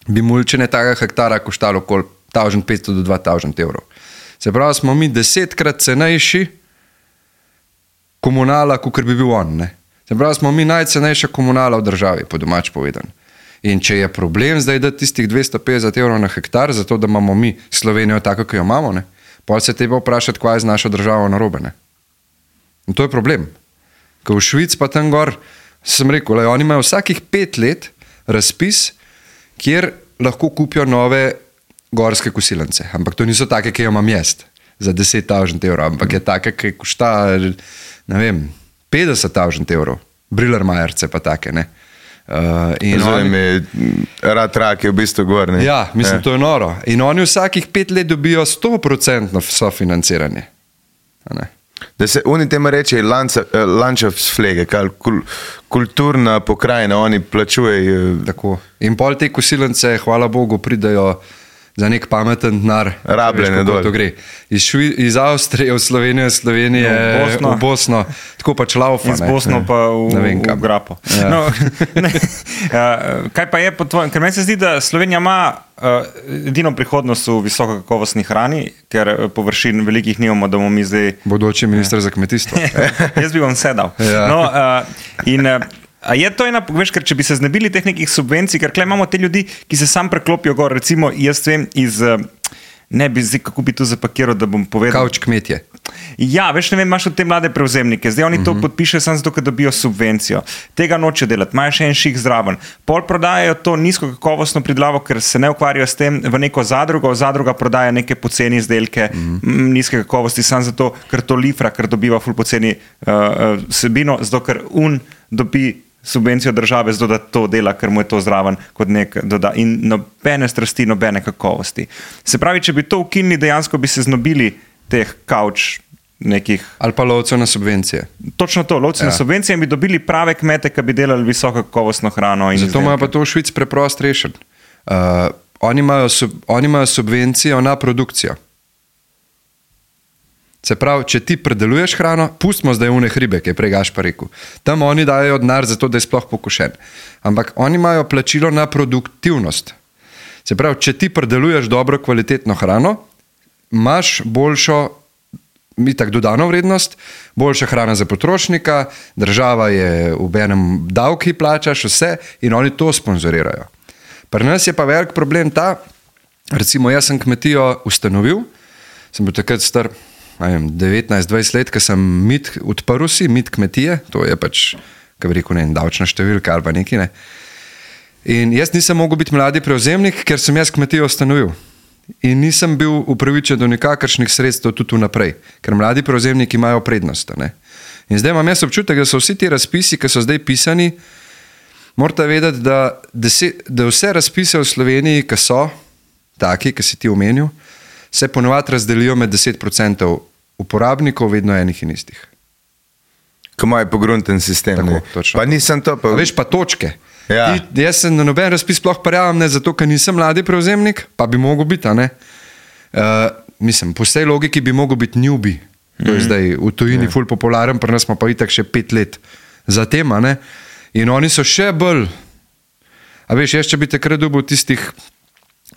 bi mulčenje tega hektara koštalo okoli tisoč petsto do dva tisoč evrov. Se pravi, smo mi desetkrat cenejši komunala, kot bi bil on. Ne? Se pravi, smo mi najcenejša komunala v državi, po domač povedan. In če je problem zdaj dati tistih dvesto petdeset evrov na hektar, zato da imamo mi Slovenijo tako, kot jo imamo, ne? Potem se treba vprašati, kaj je z našo državo narobe. Ne? In to je problem. Ko v Švici pa tam gor, sem rekel, le, oni imajo vsakih pet let razpis, kjer lahko kupijo nove gorske kosilence. Ampak to niso take, ki jo imam jaz za deset tisoč evrov, ampak je take, ki košta, ne vem, petdeset tisoč evrov. Brillermajerce pa take, ne. Uh, in Zdaj oni, mi rad rak je v bistvu gor. Ne? ja, mislim, to je noro. In oni vsakih pet let dobijo sto procent sofinanciranje. A ne. Da se oni temu reče Landschaftspflege, kul, kulturna pokrajina, oni plačujejo. Tako. In pol te kosilence, hvala Bogu, pridajo za nek pameten denar. Rabljene Veš, kako dol. to gre. Iz, Švi, iz Avstrije v Slovenijo, iz Slovenije No, v Bosno. v Bosno, tako pač laufa. Iz ne. Bosno pa v, Ne vem v kam. Grapo. Ja. No, ne, uh, kaj pa je po tvojem? Ker meni se zdi, da Slovenija ima uh, edino prihodnost v visokokakovostni hrani, ker uh, površin velikih nimamo, da bomo mi zdaj. Bodoči minister za kmetijstvo. Jaz bi vam sedal. Ja. No, uh, in, uh, a je to ena, veš, ker če bi se znebili teh nekih subvencij, ker tukaj imamo te ljudi, ki se sam preklopijo gor, recimo jaz vem iz, uh, ne bi zdaj, kako bi to zapakiral, da bom povedal. Kavč kmetje. Ja, veš, ne vem, imaš te mlade prevzemnike, zdaj oni to uh -huh. podpišejo samo zato, ker dobijo subvencijo. Tega noče delati, imajo še en ših zraven. Pol prodajajo to nizko kakovostno pridelavo, ker se ne ukvarjajo s tem v neko zadrugo, zadruga prodaja neke poceni izdelke, uh -huh. m, nizke kakovosti, samo zato, ker to lifra, ker dobiva ful poceni uh, uh, vsebino, zato ker un dobi subvencijo države, zato da to dela, ker mu je to zraven kot nek doda. In nobene strasti, nobene kakovosti. Se pravi, če bi to ukinili, dejansko bi se znobili teh kavč nekih. Ali pa lovcev na subvencije. Točno to, lovci ja. na subvencije in bi dobili prave kmete, ki bi delali visoko kakovostno hrano. In Zato imajo pa to v Švici preprost rešen. Uh, oni, imajo sub, oni imajo subvencijo na produkcijo. Se pravi, če ti predeluješ hrano, pustimo zdaj une hribe, ki je prej Gašpar rekel. Tam oni dajo denar za to, da je sploh pokošen. Ampak oni imajo plačilo na produktivnost. Se pravi, če ti predeluješ dobro kvalitetno hrano, imaš boljšo itak dodano vrednost, boljša hrana za potrošnika, država je v enem davki plačaš vse in oni to sponzorirajo. Pri nas je pa velik problem ta, recimo jaz sem kmetijo ustanovil, sem bil takrat star devetnajst dvajset let, ko sem mit odprl si, mit kmetije, to je pač, kaj bi rekel, ne, davčna številka ali pa neki, ne. In jaz nisem mogel biti mladi prevzemnik, ker sem jaz kmetijo ustanovil. In nisem bil upravičen do nikakršnih sredstev tudi vnaprej, ker mladi prevzemniki imajo prednost. Ne? In zdaj imam jaz občutek, da so vsi ti razpisi, ki so zdaj pisani, morate vedeti, da, deset, da vse razpise v Sloveniji, ki so taki, ki si ti omenil, se ponovadi razdelijo med deset procentov uporabnikov, vedno enih in istih. Ko imajo pogrunten sistem. Tako, ne. točno. Pa nisem to pa... A veš pa točke. Ja. Ti, jaz sem na noben razpis sploh prijavim, ne zato, ker nisem mladi prevzemnik, pa bi mogel biti, a ne. Uh, mislim, po vsej logiki bi mogel biti newbie. To je zdaj v tujini ja. Ful popularen, pri nas smo pa itak še pet let za tem, a ne. In oni so še bolj, a veš, jaz če bi takrat dobil tistih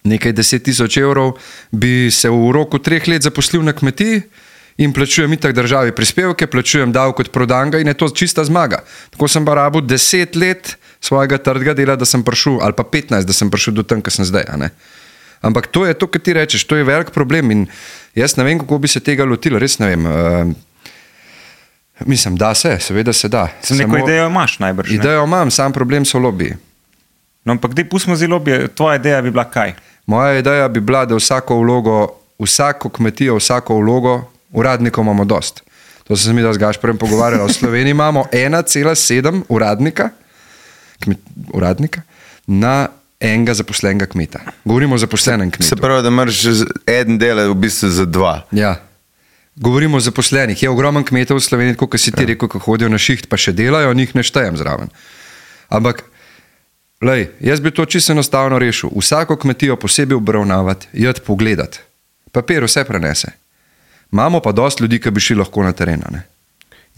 nekaj deset tisoč evrov, bi se v roku treh let zaposlil na kmetiji in plačujem itak državi prispevke, plačujem davek od prodanga in je to čista zmaga. Tako sem pa rabil deset let svojega trdega dela, da sem prišel, ali pa petnajst, da sem prišel do tam, kar sem zdaj, a ne. Ampak to je to, kar ti rečeš, to je velik problem in jaz ne vem, kako bi se tega lotil, res ne vem. Uh, mislim, da se, seveda se da. Sem neko Samo, idejo imaš najbrž, ne? Idejo imam, sam problem so lobiji. No, ampak dej, pustimo zdaj lobije, tvoja ideja bi bila kaj? Moja ideja bi bila, da vsako vlogo, vsako kmetijo, vsako vlogo, uradnikov imamo dost. To sem se mi da z Gašparjem pogovarjala. V Sloveniji imamo ena cela sedem uradnika, kmet, uradnika na enega zaposlenega kmeta. Govorimo o zaposlenem kmetu. Se pravi, da moraš en del v bistvu za dva. Ja. Govorimo o zaposlenih. Je ogromen kmetov v Sloveniji, kot si ti rekel, ko hodijo na šiht, pa še delajo, njih ne štejem zraven. Ampak lej, jaz bi to čisto enostavno rešil. Vsako kmetijo posebej obravnavati, jed pogledati. Papir vse prenese. Imamo pa dosti ljudi, ki bi šli lahko na teren. Ne?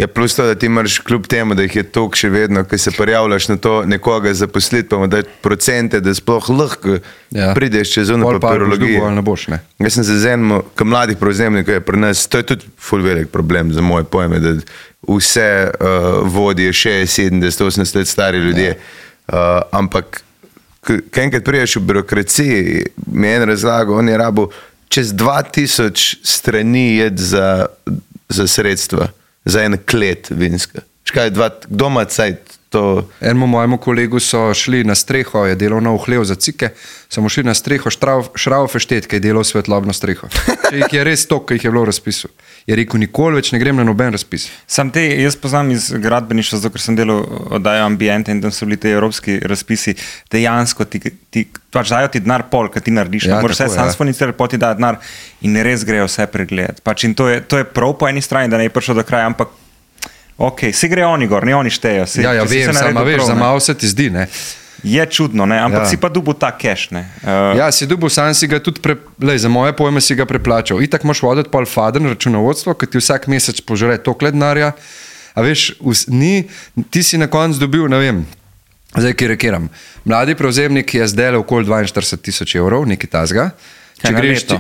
Ja, plus to, da ti moraš kljub temu, da jih je toliko še vedno, ki se prijavljaš na to nekoga zaposliti, pa mu dati procente, da sploh lahko ja. Prideš čez ono papirologijo. Ne boš, ne? Jaz sem se z enim, ko mladih prevzemnikov je pri nas, to je tudi ful velik problem za moje pojme, da vse uh, vodijo še sedemdeset osemdeset let stari ljudje. Ja. Uh, ampak, kaj enkrat priješ v birokraciji, mi je en razlago, on je rabo čez dva tisoč strani jed za, za sredstva, za en klet vinska. Škaj, dva, kdo ima cajt to? Enemu mojemu kolegu so šli na streho, je delal na uhlev za cike, so mu šli na streho Šraufeštet, ki je delal svetlobno streho. Če jih je res to, ki jih je bilo v razpisu. Je rekel, nikoli več ne grem na noben razpis. Sam te, jaz poznam iz gradbeništva, zato ker sem delal oddajo Ambiente in tam so bili te evropski razpisi, dejansko ti, ti pač dajo ti denar pol, kad ti narediš. Ja, moraš vse sam ja. Sfonicirati, pol ti dajo denar in res grejo vse pregledati. Pač in to je, to je prav po eni strani, da ne je prišlo do kraja, ampak ok, si gre oni gor, ne oni štejo. Si, ja, ja, vem, sama veš, za malo se ti zdi, ne. Je čudno, ne? Ampak ja. Si pa dubil ta cash, ne? Uh, ja, si dubil, sam si ga tudi, pre, lej, za moje pojme si ga preplačal. Itak moš voditi pol faden računovodstvo, ker ti vsak mesec požre toliko denarja. A veš, vs, ni, ti si na koncu dobil, ne vem, zdaj ki rekiram, mladi prevzemnik je zdaj okoli dvainštirideset tisoč evrov, nekaj tazga. Če greš ti,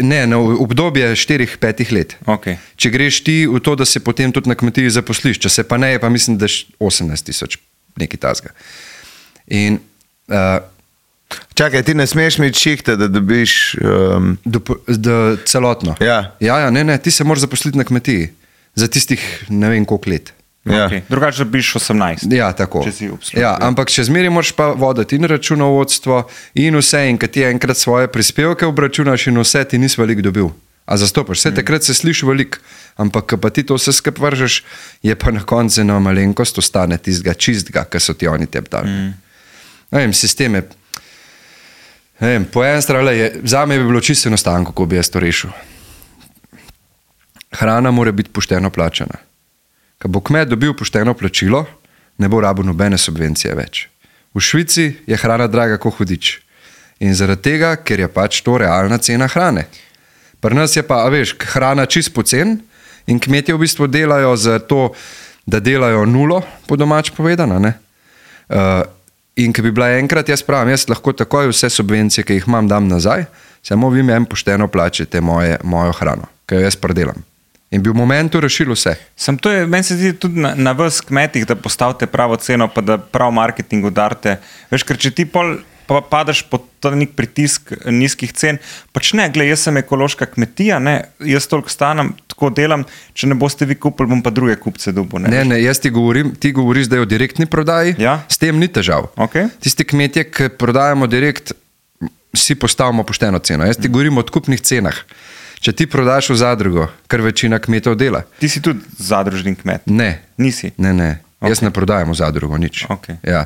ne, na obdobje štirih, petih let. Okay. Če greš ti v to, da se potem tudi na kmetiji zaposliš, če se pa ne, pa mislim, da osemnajst tisoč nekaj tazga. In, uh, čakaj, ti ne smeš imeti šihta, da dobiš um... do, do, celotno. Ja. Ja, ja, ne, ne, ti se moraš zaposliti na kmetiji za tistih ne vem koliko let. Ja. Okay. Drugače dobiš osemnajst. Ja, tako. Če si obslužil. Ja, ampak še zmeraj moraš pa voditi in računovodstvo in vse, in kad ti enkrat svoje prispevke obračunaš in vse, ti nisi veliko dobil. A zastopaš, vse mm. takrat se sliši veliko, ampak pa ti to vse skup vržeš, je pa na koncu ena malenkost ostane tistega čistega, kar so ti oni tebi dali. Mm. Ne vem, sisteme, ne vem, po eni strani, za me bi bilo čisto enostavno, kako bi jaz to rešil. Hrana mora biti pošteno plačana. Ko bo kmet dobil pošteno plačilo, ne bo rabil nobene subvencije več. V Švici je hrana draga kot hudič. In zaradi tega, ker je pač to realna cena hrane. Pri nas je pa, a veš, hrana čist pocen in kmetje v bistvu delajo za to, da delajo nulo, po domač povedano. Ne? Uh, in ki bi bila enkrat, jaz pravim, jaz lahko takoj vse subvencije, ki jih imam, dam nazaj, samo vi mi en pošteno plačete moje, mojo hrano, ki jo jaz predelam. In bi v momentu rešil vse. Sam to je, meni se zdi tudi na, na vas kmetih, da postavite pravo ceno, pa da prav marketing udarite. Veš, ker če ti pol pa padeš pod nek pritisk nizkih cen, pač ne, gled, jaz sem ekološka kmetija, ne, jaz toliko stanem, tako delam, če ne boste vi kupili, bom pa druge kupce dobil. Ne, ne, ne, jaz ti govorim, ti govoriš, da je o direktni prodaji, ja? S tem ni težav. Okay. Tisti kmetje, ki prodajamo direkt, si postavimo pošteno ceno. Jaz ti mm. govorim o odkupnih cenah. Če ti prodaš v zadrugo, kar večina kmetov dela. Ti si tudi zadružni kmet? Ne. Nisi? Ne, ne. Okay. Jaz ne prodajam v zadrugo, nič. Okay. Ja.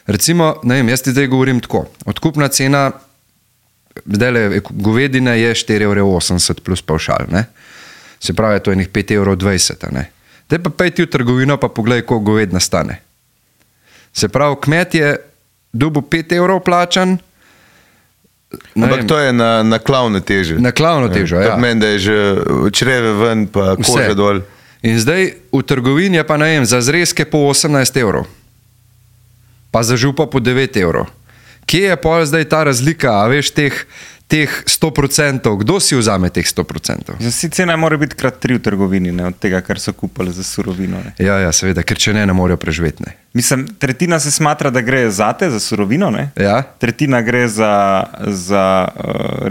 Recimo, ne vem, jaz ti zdaj govorim tako. Odkupna cena, zdajle, govedine je štiri evre osemdeset plus pavšal, ne? Se pravi, to je nekih pet evrov dvajset, ne? Zdaj pa pej ti v trgovino pa poglej, koliko govedina stane. Se pravi, kmet je dobil pet evrov plačan. Ampak to je na, na klavno težo. Na klavno težo, ja. To meni, da je že čreve ven, pa koža dol. In zdaj v trgovini je pa, ne vem, za zrezke po osemnajst evrov. Pa za župa po devet evrov. Kje je pa zdaj ta razlika, a veš, teh, teh sto procentov? Kdo si vzame teh sto procentov? Zdaj, cena mora biti krat tri v trgovini, ne, od tega, kar so kupili za surovino. Ne. Ja, ja, seveda, ker če ne, ne morejo preživeti. Ne. Mislim, tretjina se smatra, da gre zate, za surovino, ne? Ja. Tretjina gre za, za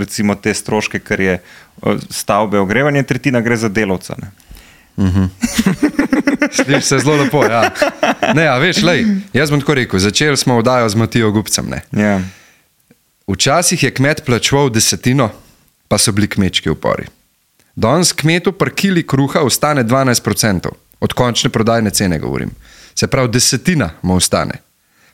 recimo te stroške, kar je stavbe, ogrevanje, tretjina gre za delavca. Ne? Mhm. Sliši se zelo lepo, ja. Ne, a veš, lej, jaz bom tako rekel, začeli smo vdajo z Matijo Gubcem, ne. Ja. Včasih je kmet plačeval desetino, pa so bili kmečki upori. Danes kmetu pri kili kruha ostane dvanajst procentov, od končne prodajne cene govorim. Se pravi, desetina mu ostane,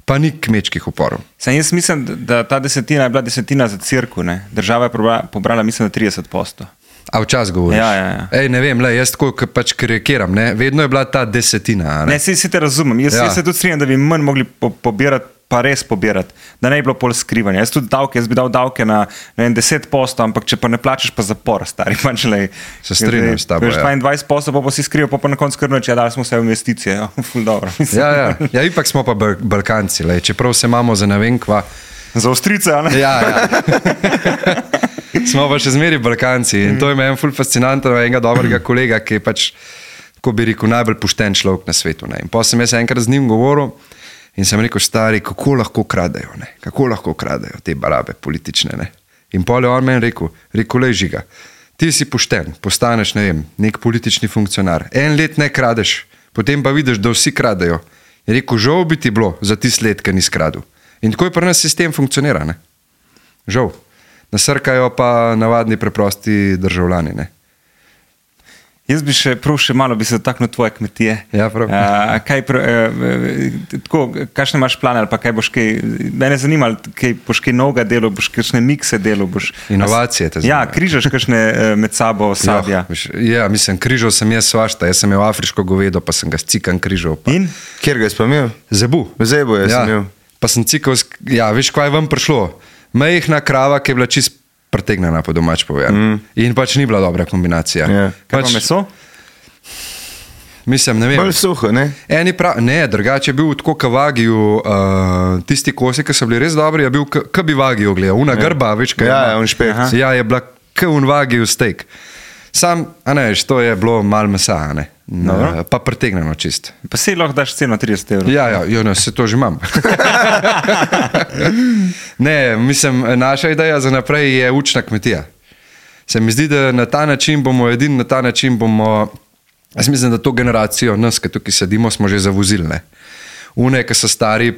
pa ni kmečkih uporov. Sam jaz mislim, da ta desetina je bila desetina za cirku, ne. Država je pobrala, pobrala mislim, da trideset posto. A včas govoriš? Ja, ja, ja. Ej, ne vem, le, jaz tako pač karikiram, ne, vedno je bila ta desetina. Ne, ne si, si te razumem, jaz, ja. jaz se tudi strinjam, da bi manj mogli po, pobirati, pa res pobirati, da ne bi bilo pol skrivanja. Jaz tudi davke, jaz bi dal davke na ne vem, deset posto, ampak če pa ne plačeš, pa zapor, stari. Pač, lej, se strinjam s tabo, ja. dvaindvajset posto pa, pa si skrival, pa pa na koncu krnoč, ja, dali smo vse v investicije, ja, ful dobro. Ja, ja, ja, ipak smo pa Balkanci, lej, čeprav se imamo za ne vem kva. Za Avstrijce, a ne? Ja, ja. Smo pa še zmeri Balkanci in to je meni ful fascinantno enega dobrega kolega, ki je pač, ko bi rekel, najbolj pošten človek na svetu. Ne. In pa sem jaz enkrat z njim govoril in sem rekel, stari, kako lahko kradejo, ne. Kako lahko kradejo te barabe politične. Ne. In pa je on meni rekel, rekel, lej Žiga, ti si pošten, postaneš, ne vem, nek politični funkcionar. En let ne kradeš, potem pa vidiš, da vsi kradejo. Je rekel, žal bi ti bilo za tist let, ki ni skradil. In tako je pri nas sistem funkcionira, ne. Žal. Nasrkajo pa navadni preprosti državljani. Ne? Jaz bi še prav še malo bi se dotaknil tvoje kmetije. Ja, prav. A, kaj, tako, kakšne imaš plane ali pa kaj boš kaj, mene zanima, kaj boš kaj novega delo, boš kakšne mikse delo, boš... Inovacije te zanima. Ja, križaš kakšne med sabo sadja. Ja, mislim, križal sem jaz svašta, jaz sem imel afriško govedo, pa sem ga s cikan križal. Pa. In? Kjer ga je pa imel? Zebu. Zebu je ja, sem imel. Pa sem cikal, ja, veš, kaj je vam prišlo? Mejhna krava, ki je bila čist pretegnjena, po domač povedano. Mm. In pač ni bila dobra kombinacija. Yeah. Kaj pač, pa meso? Mislim, ne vem. Bolj suho, ne? Eni prav, ne, drugače je bil tako kavagiju, uh, tisti kosi, ki so bili res dobri, je bil k bi vagiju gledal. Una yeah. grba, veš, kaj ja, je. Ja, on špek. Ja, je bila k un vagiju steak. Sam, a ne veš, to je bilo malo mesa, ne. No, pa pretegnjeno čist. Pa si lahko daš ceno trideset evrov. Ja, ja, jo, ne, se to že imam. Ne, mislim, naša ideja za naprej je učna kmetija. Se mi zdi, da na ta način bomo, edin na ta način bomo, jaz mislim, da to generacijo nas, ki tukaj sedimo, smo že zavozili, ne. Une, ki so stari,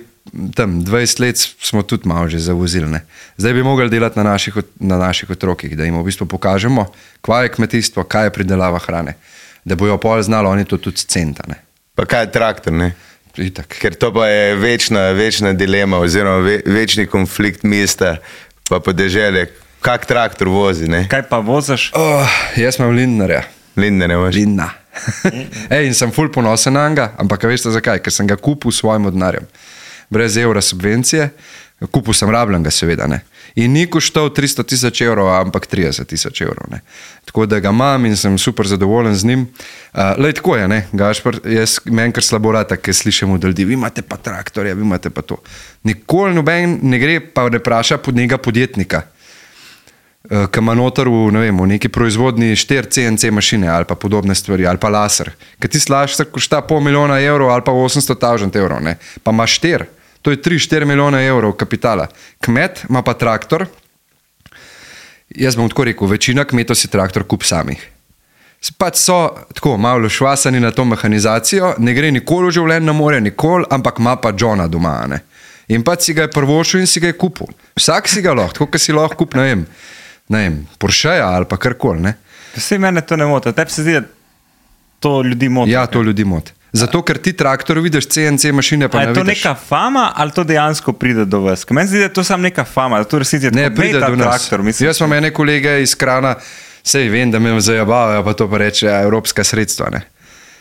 tam dvajset let smo tudi malo že zavozili, ne. Zdaj bi mogli delati na naših, na naših otrokih, da jim v bistvu pokažemo, kaj je kmetijstvo, kaj je pridelava hrane. Da bojo pol znali, oni to tudi centa, ne. Pa kaj je traktor, ne? Itak. Ker to pa je večna, večna dilema oziroma ve, večni konflikt mesta pa podeželje. Kak traktor vozi, ne? Kaj pa vozaš? Oh, jaz imam Lindnerja. Lindnerja imaš? Lindna. Ej, in sem ful ponosen na njega, ampak veste zakaj? Ker sem ga kupil s svojim denarjem. brez evra subvencije, kupil sem rabljenega seveda, ne. In ni koštal tristo tisoč evrov, ampak trideset tisoč evrov, ne. Tako da ga imam in sem super zadovoljen z njim. Uh, lej, tako je, ne, Gašper, jaz meni kar slabo rata, ker slišim od ljudi, vi imate pa traktorja, vi imate pa to. Nikoli noben ne gre pa ne vpraša pod njega podjetnika, uh, ki ima noter v, ne vem, v neki proizvodni štiri C N C mašine ali pa podobne stvari, ali pa laser. Ker ti laser košta pol milijona evrov ali pa osemsto tisoč evrov, ne, pa ima štiri. To je tri štiri milijone evrov kapitala. Kmet ima pa traktor, jaz bom tako rekel, večina kmetov si traktor kup samih. Pač so tako malo švasani na to mehanizacijo, ne gre nikoli v življenju na morje, nikoli, ampak ima pa Johna doma, ne. In pač si ga je prvošil in si ga je kupil. Vsak si ga lahko, tako kot si lahko kup, ne vem, ne vem, Porscheja ali pa karkoli, ne. Vse mene to ne moti, tebi se zdi, da to ljudi moti. Ja, to ljudi moti. Zato, ker ti traktor vidiš C N C mašine, pa ne vidiš. Je to neka fama ali to dejansko pride do vas? Ker meni zdi, da je to samo neka fama, da to resnici je ne, pride do nas. Traktor, mislim, jaz imam ene kolege iz Krana, sej vem, da me zajabavajo, pa to pa reče ja, evropska sredstva, ne.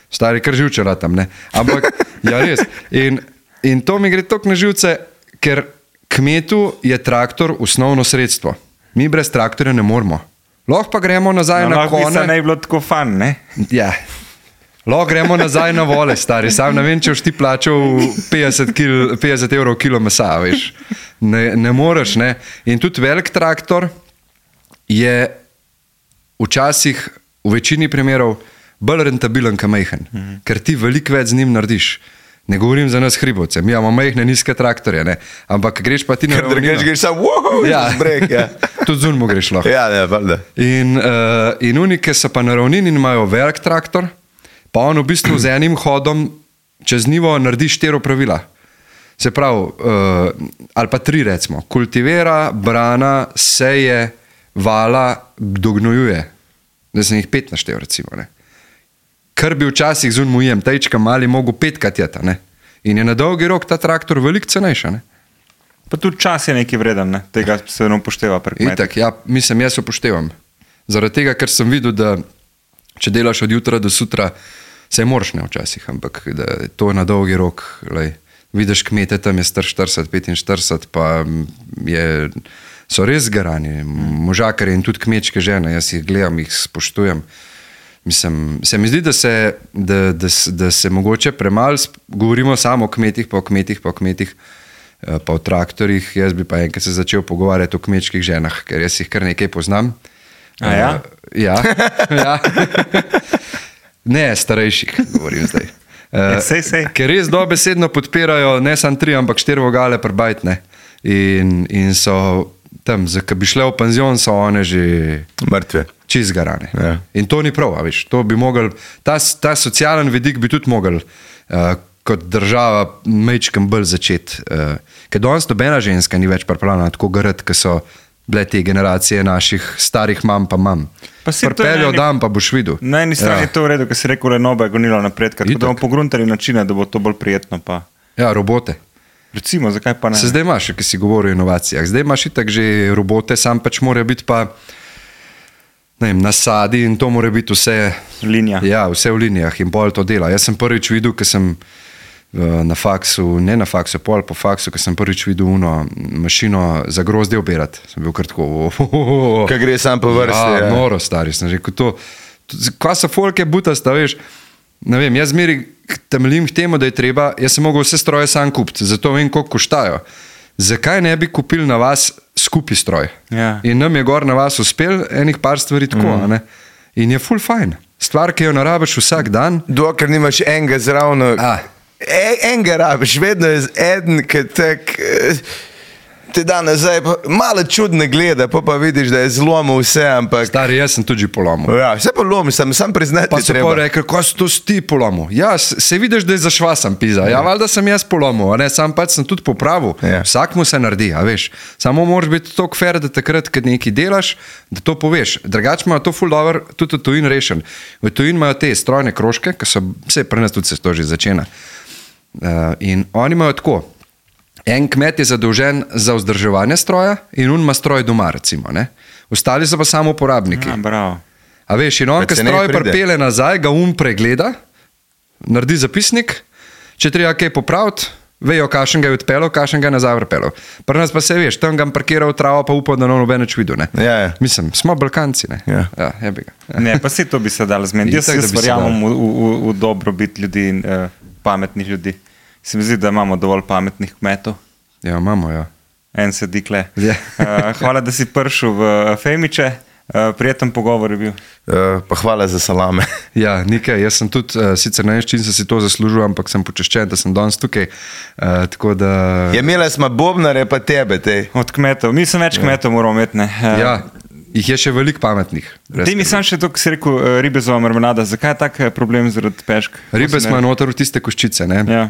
Stari kar živčera tam, ne. Ampak, ja res. In, in to mi gre toliko na živce, ker kmetu je traktor osnovno sredstvo. Mi brez traktorja ne moramo. Lahko pa gremo nazaj no, na kone. Lahko bi se ne bilo tako fan, ne? Ja. Lahko gremo nazaj na vole, stari. Sam ne vem, če boš ti plačal petdeset evrov kilo mesa, veš. Ne, ne moreš, ne. In tudi velik traktor je včasih, v večini primerov, bolj rentabilen, kot majhen. Mhm. Ker ti veliko več z njim narediš. Ne govorim za nas hribovce, mi imamo majhne, nizke traktorje, ne. Ampak greš pa ti na ravnino. Ker greš samo, wow, ja. Zbrek, ja. Tudi z unmo greš lahko. Ja, ne, valjda. In, uh, in unike so pa na ravnini in imajo velik traktor, pa on v bistvu z enim hodom čez nivo naredi štiri pravila. Se pravi, uh, ali pa tri recimo, kultivira, brana, seje, vala, dognojuje. Da sem jih pet naštel recimo, ne. Kar bi včasih z unmo jem, tajčka mali mogo petkrat jeta, ne. In je na dolgi rok ta traktor veliko cenejša, ne. Pa tudi čas je nekaj vreden, ne. Tega se ne upošteva pri kmetih. Itak, ja, mislim, jaz upoštevam. Zaradi tega, ker sem videl, da če delaš od jutra do sutra, se moraš ne včasih, ampak da to na dolgi rok, lej, vidiš kmete, tam je star štirideset, petinštirideset, pa je, so res garani, možakari in tudi kmečke žene, jaz jih gledam, jih spoštujem. Mislim, se mi zdi, da se, da, da, da se mogoče premalo govorimo samo o kmetih, pa o kmetih, pa o kmetih, pa o traktorjih. Jaz bi pa enkrat se začel pogovarjati o kmečkih ženah, ker jaz jih kar nekaj poznam. A ja? Uh, ja, ja. Ne, starejših, govorim zdaj. Uh, sej, sej. Ker res dobesedno podpirajo ne samo tri, ampak štiri vogale prbajt, ne. In, in so tam, ko bi šle v penzion, so one že mrtve. Čist garane. Ja. In to ni prav, a veš. To bi mogel, ta, ta socialen vidik bi tudi mogel uh, kot država majčkem bolj začeti. Uh, ker danes nobena ženska ni več pripravljena tako garati, ki so bile te generacije naših starih mam pa mam. Prpeljo dan pa boš videl. Na eni strani ja. Je to v redu, ker si rekel, da je nobe gonilo napredka, tako da bomo pogruntali načine, da bo to bolj prijetno. Pa. Ja, robote. Recimo, zakaj pa ne? Se zdaj imaš, ki si govoril o inovacijah, zdaj imaš itak že robote, sam pač mora biti pa ne vem, nasadi in to mora biti vse linija. Ja, vse v linijah in pol to dela. Jaz sem prvič videl, ker sem na faksu, ne na faksu, pol po faksu, ker sem prvič videl uno mašino za grozdje obirati. Sem bil kar tako, oh, oh, oh. Kaj gre sam po vrsti. Ja, ja. Noro, stari, sem rekel to. Kaj so folke butasta, veš, ne vem, jaz zmeri temeljim k temu, da je treba, jaz sem mogel vse stroje sam kupiti, zato vem, koliko koštajo. Zakaj ne bi kupili na vas skupi stroj? Ja. In nam je gor na vas uspel enih par stvari tako, mm. ne? In je ful fajn. Stvar, ki jo narabiš vsak dan. Dokler nimaš enega zravno. A. E, enega rabiš, vedno je eden, ki tak te da nazaj, pa malo čudne gleda, pa pa vidiš, da je zlomil vse, ampak... Stari, jaz sem tudi polomil. Ja, vse polomil, sem, sam priznati pa treba. Pa so pa rekli, ko si to ti polomil. Ja, se vidiš, da je zašvasan pizza. Ja, valjda sem jaz polomil, a ne, sam pač sem tudi popravil. Ja. Vsak mu se naredi, a veš. Samo moraš biti toliko fair, da takrat, kad nekaj delaš, da to poveš. Drugače imajo to ful dobro, tudi v tujini rešen. V tujini imajo te strojne krožke, ki so, vse pri nas tudi se to že začena. Uh, in oni imajo tako. En kmet je zadolžen za vzdrževanje stroja in on ima stroj doma, recimo. Ne? Ostali so pa samo uporabniki. Ja, bravo. A veš, in on, ki stroj pripelje nazaj, ga um pregleda, naredi zapisnik, če treba kaj popraviti, vejo, kakšen ga je odpeljal, kakšen ga je nazaj vrpeljal. Pri nas pa se veš, tam ga parkiral v travo, pa upal, da no noben več videl. Ja, ja. Mislim, smo Balkanci. Ne, Ja. ja, jebi ga. Ja. Ne, pa se to bi se dalo zmeniti. Jaz, Itak, da jaz bi se verjamem v, v, v dobrobit ljudi in uh, pametnih ljudi. Se mi zdi, da imamo dovolj pametnih kmetov. Ja, imamo, ja. En sedi kle. Ja. Uh, hvala, da si prišel v Femiče. Uh, prijeten pogovor je bil. Uh, pa hvala za salame. Ja, nekaj. Jaz sem tudi, uh, sicer ne vem, čim sem si to zaslužil, ampak sem počaščen, da sem danes tukaj. Uh, tako da... Ja, imela smo bobnare, pa tebe, tej. Od kmetov. Mi sem več kmetov moramo imeti. Ne? Uh, Ja, jih je še veliko pametnih. brez Ti mi skrbi. sam še to, ko si rekel, uh, ribezova marmelada. Zakaj je tak uh, problem zaradi pešk? Ribe smo noter v tiste koščice, ne? Ja.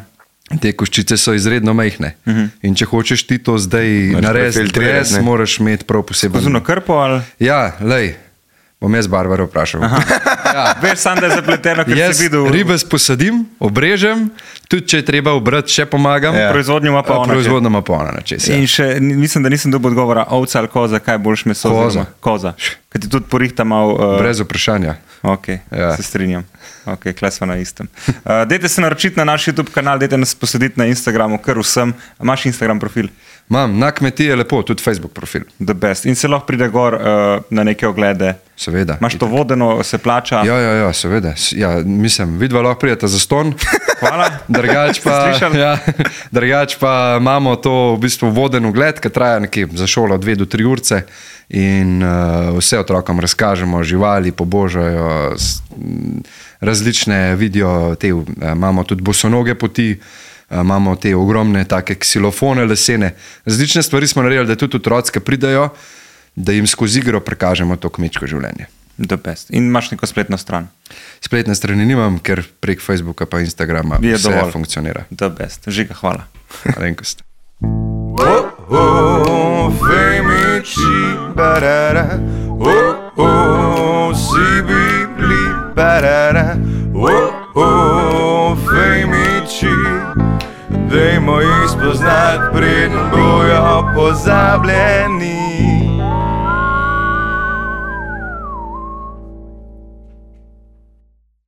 Te koščice so izredno majhne. Uh -huh. In če hočeš ti to zdaj Moraš narediti, prefiltrirati, brez, ne? moraš imeti prav poseben... Zuno krpo ali... Ja, lej, bom jaz Barbaro vprašal. Ja, veš sam, da je zapleteno, ker Jaz si videl... ribe posadim, obrežem, tudi če je treba obrati, še pomagam. Ja. Proizvodnjo ima pa ona. Proizvodnjo ima pa ona na čez. Ja. In še, ni- mislim, da nisem dobil odgovora, ovca ali koza, kaj boljš meso? Koza. oziroma Koza. Ker ti tudi porihta malo... Uh, Brez vprašanja. Ok, Ja. ja. Se strinjam. Ok, kle smo na istem. Uh, dajte se naročiti na naš YouTube kanal, dajte nas poslediti na Instagramu, kar vsem. Imaš Instagram profil? Imam na kmetiji lepo, tudi Facebook profil. The best. In se lahko pride gor uh, na neke oglede. Seveda. Imaš to vodeno, se plača. Ja, ja, ja, seveda. S- Ja, mislim, vidva lahko prijeta za ston. Hvala. Drugač Ste pa, slišali? ja, drugač pa imamo to v bistvu voden ogled, ki traja nekje za šolo dve do tri urce in uh, vse otrokom razkažemo, živali pobožajo, s- m, različne vidijo, te, uh, imamo tudi bosonoge poti, uh, imamo te ogromne take ksilofone lesene, različne stvari smo naredili, da tudi otroci, ki pridejo, da jim skozi igro prikažemo to kmečko življenje. The best. In imaš neko spletno stran. Spletne strani nimam, ker prek Facebooka pa Instagrama Je vse dovolj. funkcionira. The best. Žiga, hvala. Malenkost. Oh, femiči, barara. Oh, oh, si bili, barara. Oh, oh, femiči. Dajmo jih spoznati, preden bojo pozabljeni.